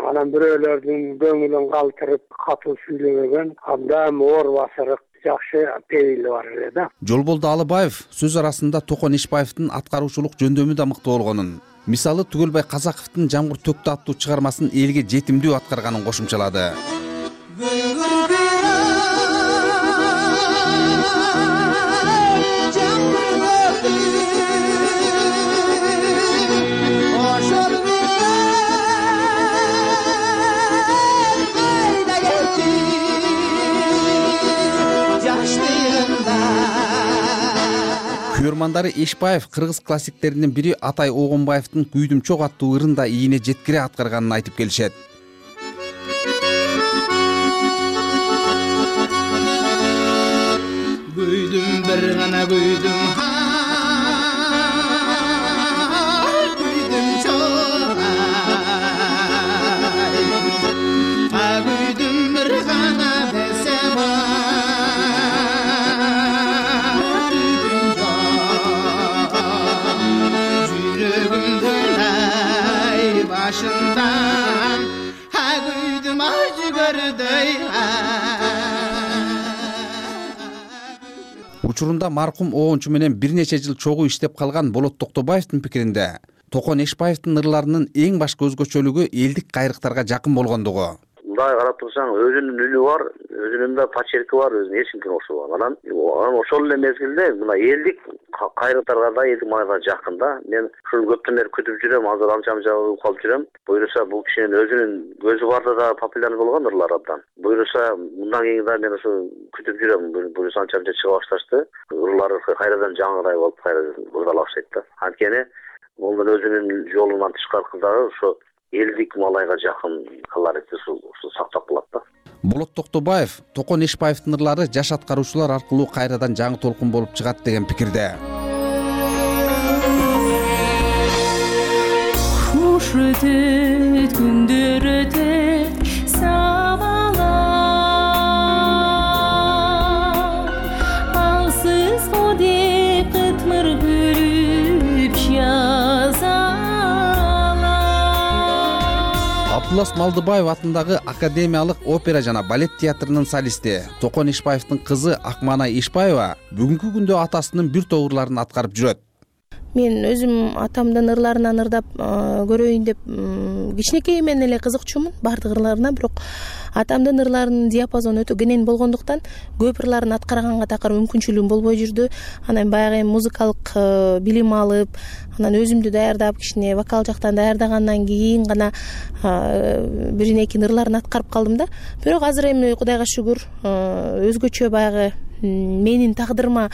анан бирөөлөрдүн көңүлүн калтырып катуу сүйлөбөгөн, абдан оор басырык жакшы пейили бар эле да. Жолболду Алыбаев сөз арасында Токон Ишбаевдин аткаруучулук жөндөмү да мыкты болгонун, мисалы Түгөлбай Казаковдун Жамгыр төктү аттуу чыгармасын элге жетимдүү аткарганын кошумчалады. Күйөрмандары Ишбаев кыргыз классиктеринин бири Атай Огонбаевдин Күйдүм чок аттуу ырын да ийине жеткире аткарганын айтып келишет. Күйдүм бир гана күйдүм, күйдүм чок ай, күйдүм бир гана десем başından ha güydüm acı gördüy. Учурунда маркум оончу менен бир нече жыл чогуу иштеп калган Болот Токтобаевдин пикиринде Токон Ишбаевдин ырларынын эң башкы өзгөчөлүгү элдик кайрыктарга жакын болгондугу. Мындай карап турсаң, өзүнүн үнү бар, өзүнүн да почерки бар, өзүнүн эч кимге окшобойт. Анан ошол эле мезгилде мына элдик кайрыктарга да, элдик майга жакын да. Мен ушул көптөн бери күтүп жүрөм, азыр анча-мынча калып жүрөм. Буюрса бул кишинин өзүнүн көзү барда да популярный болгон ырлар абдан. Буюрса мындан кийин да мен ушу күтүп жүрөм. Буюрса анча-мынча чыга башташты. Ырлары кайрадан жаңырай болуп кайра ырдала баштайт да. Анткени бул өзүнүн жолунан тышкаркы дагы ошо элдик малайга жакын колоритти сактап калат да. Болот Токтобаев Токон Ишбаевдин ырлары жаш аткаруучулар аркылуу кайрадан жаңы толкун болуп чыгат деген пикирде. Куш өтөт, күндөр өтөт, сабалап, алсыз го деп кытмыр көрүп жазалар. Абдулас Малдыбаев атындагы Академиялык опера жана балет театрынын солисти Токон Ишбаевдин кызы Акмана Ишбаева бүгүнкү күндө атасынын бир топ ырларын аткарып жүрөт. Мен өзүм атамдын ырларынан ырдап көрөйүн деп кичинекейимден эле кызыкчумун баардык ырларына, бирок атамдын ырларынын диапазону өтө кенен болгондуктан көп ырларын аткарганга такыр мүмкүнчүлүгүм болбой жүрдү. Анан баягы музыкалык билим алып, анан өзүмдү даярдап, кичине вокал жактан даярдагандан кийин гана биринекин ырларын аткарып калдым да. Бирок азыр эми Кудайга шүгүр өзгөчө баягы менин тагдырыма,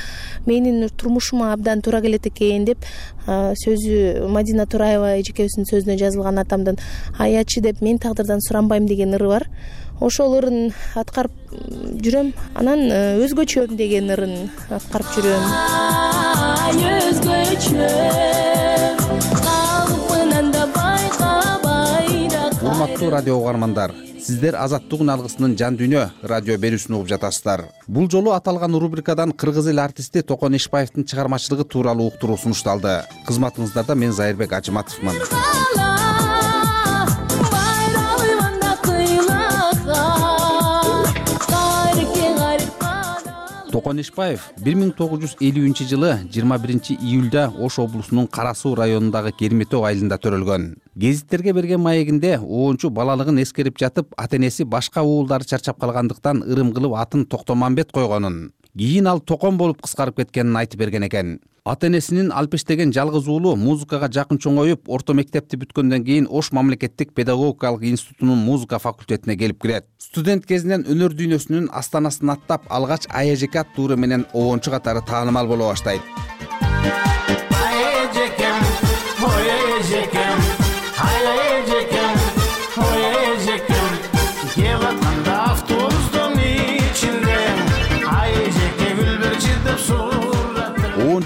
менин турмушума абдан туура келет экен деп сөзү Мадина Тураева эжекебиздин сөзүнө жазылган атамдын аячы деп мен тагдырдан суранбайм деген ыры бар. Ошол ырын аткарып жүрөм. Анан өзгөчөм деген ырын аткарып жүрөм. Урматтуу радио угармандар, сиздер Азаттык үн алгысынын жан дүйнө радио берүүсүн угуп жатасыздар. Бул жолу аталган рубрикадан кыргыз эл артисти Токон Ишбаевдин чыгармачылыгы тууралуу уктуруу сунушталды. Кызматыңыздарда мен Зайырбек Ажыматовмун. Токон Ишбаев 1950-жылы 21-июлда Ош облусунун Кара Суу районундагы Керметөө айылында төрөлгөн. Гезиттерге берген маегинде оончу балалыгын эскерип жатып, ата-энеси башка уулдары чарчап калгандыктан ырым кылып атын Токтомамбет койгонун. кийин ал токон болуп кыскарып кеткенин айтып берген экен. Ата энесинин алпештеген жалгыз уулу музыкага жакын чоңоюп, орто мектепти бүткөндөн кийин Ош мамлекеттик педагогикалык институтунун музыка факультетине келип кирет. Студент кезинен өнөр дүйнөсүнүн астанасын аттап, алгач АЭЖК аттуу менен обончу катары таанымал боло баштайт.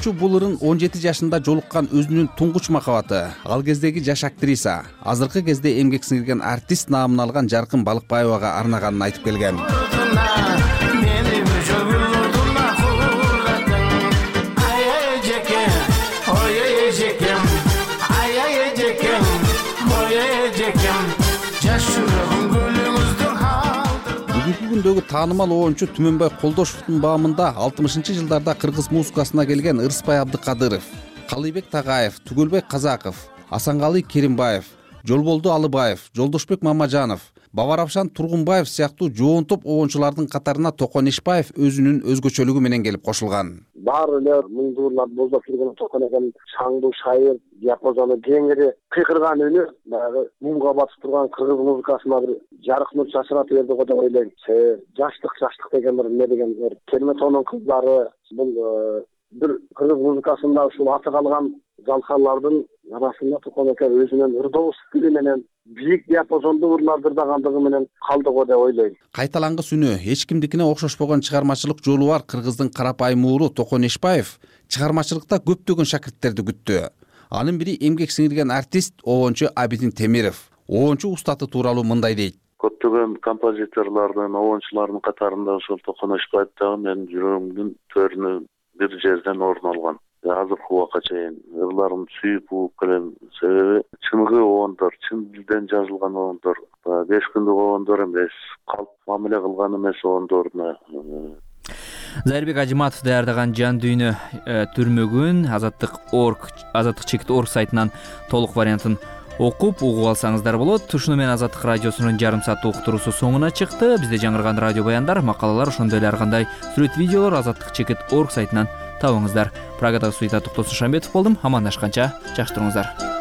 Бул ырын 17 жашында жолуккан өзүнүн туңгуч махабаты, ал кездеги жаш актриса, азыркы кезде эмгек сиңирген артист наамын алган Жаркын Балыкбаевага арнаганын айтып келген. Бүгүндөгү таанымал оончу Түмөнбай Колдошевдун баамында 60-жылдарда кыргыз музыкасына келген Ырысбай Абдыкадыров, Калыйбек Тагаев, Түгөлбай Казаков, Асанкалы Керимбаев, Жолболду Алыбаев, Жолдошбек Мамажанов, Бабаравшан Тургунбаев сыяктуу жоон топ оончулардын катарына Токон Ишбаев өзүнүн өзгөчөлүгү менен келип кошулган. Баары эле муңдуурлар боздоп жүргөн Токон экен, шаңдуу шайыр, диапазону кеңири, кыйкырган үнү баягы мумга батып турган кыргыз музыкасына бир жарык нур чачыратып берди го деп ойлойм. Жаштык деген бир эмне деген бир Керметонун кыздары, бул бир кыргыз музыкасында ушул аты калган залкарлардын арасында Токон экен өзүнүн ырдоо стили менен бийик диапазондуу ырларды ырдагандыгы менен калды го деп ойлойм. Кайталангыс үнү, эч кимдикине окшошпогон чыгармачылык жолу бар кыргыздын карапайым ууру Токон Ишбаев чыгармачылыкта көптөгөн шакирттерди күттү. Анын бири эмгек сиңирген артист обончу Абидин Темиров. Обончу устаты тууралуу мындай дейт. Көптөгөн композиторлордун, обончулардын катарында ошол Токон Ишбаев дагы менин жүрөгүмдүн төрүнө бир жерден орун алган. Азыркы убакка чейин ырларын сүйүп угуп келем. Себеби чыныгы обондор, чын дилден жазылган обондор, 5 күндүк обондор эмес, калп мамиле кылган эмес обондоруна. Зайырбек Ажиматов даярдаган Жан дүйнө түрмөгүн Азаттык чекит орг сайтынан толук вариантын окуп угуп алсаңыздар болот. Ушуну менен Азаттык радиосунун жарым сааттык уктуруусу соңуна чыкты. Бизде жаңырган радио баяндар, макалалар, ошондой эле ар кандай сүрөт видеолор Азаттык чекит орг сайтынан табыңыздар. Прагадагы студияда Токтосун Шамбетов болдум. Амандашканча жакшы туруңуздар.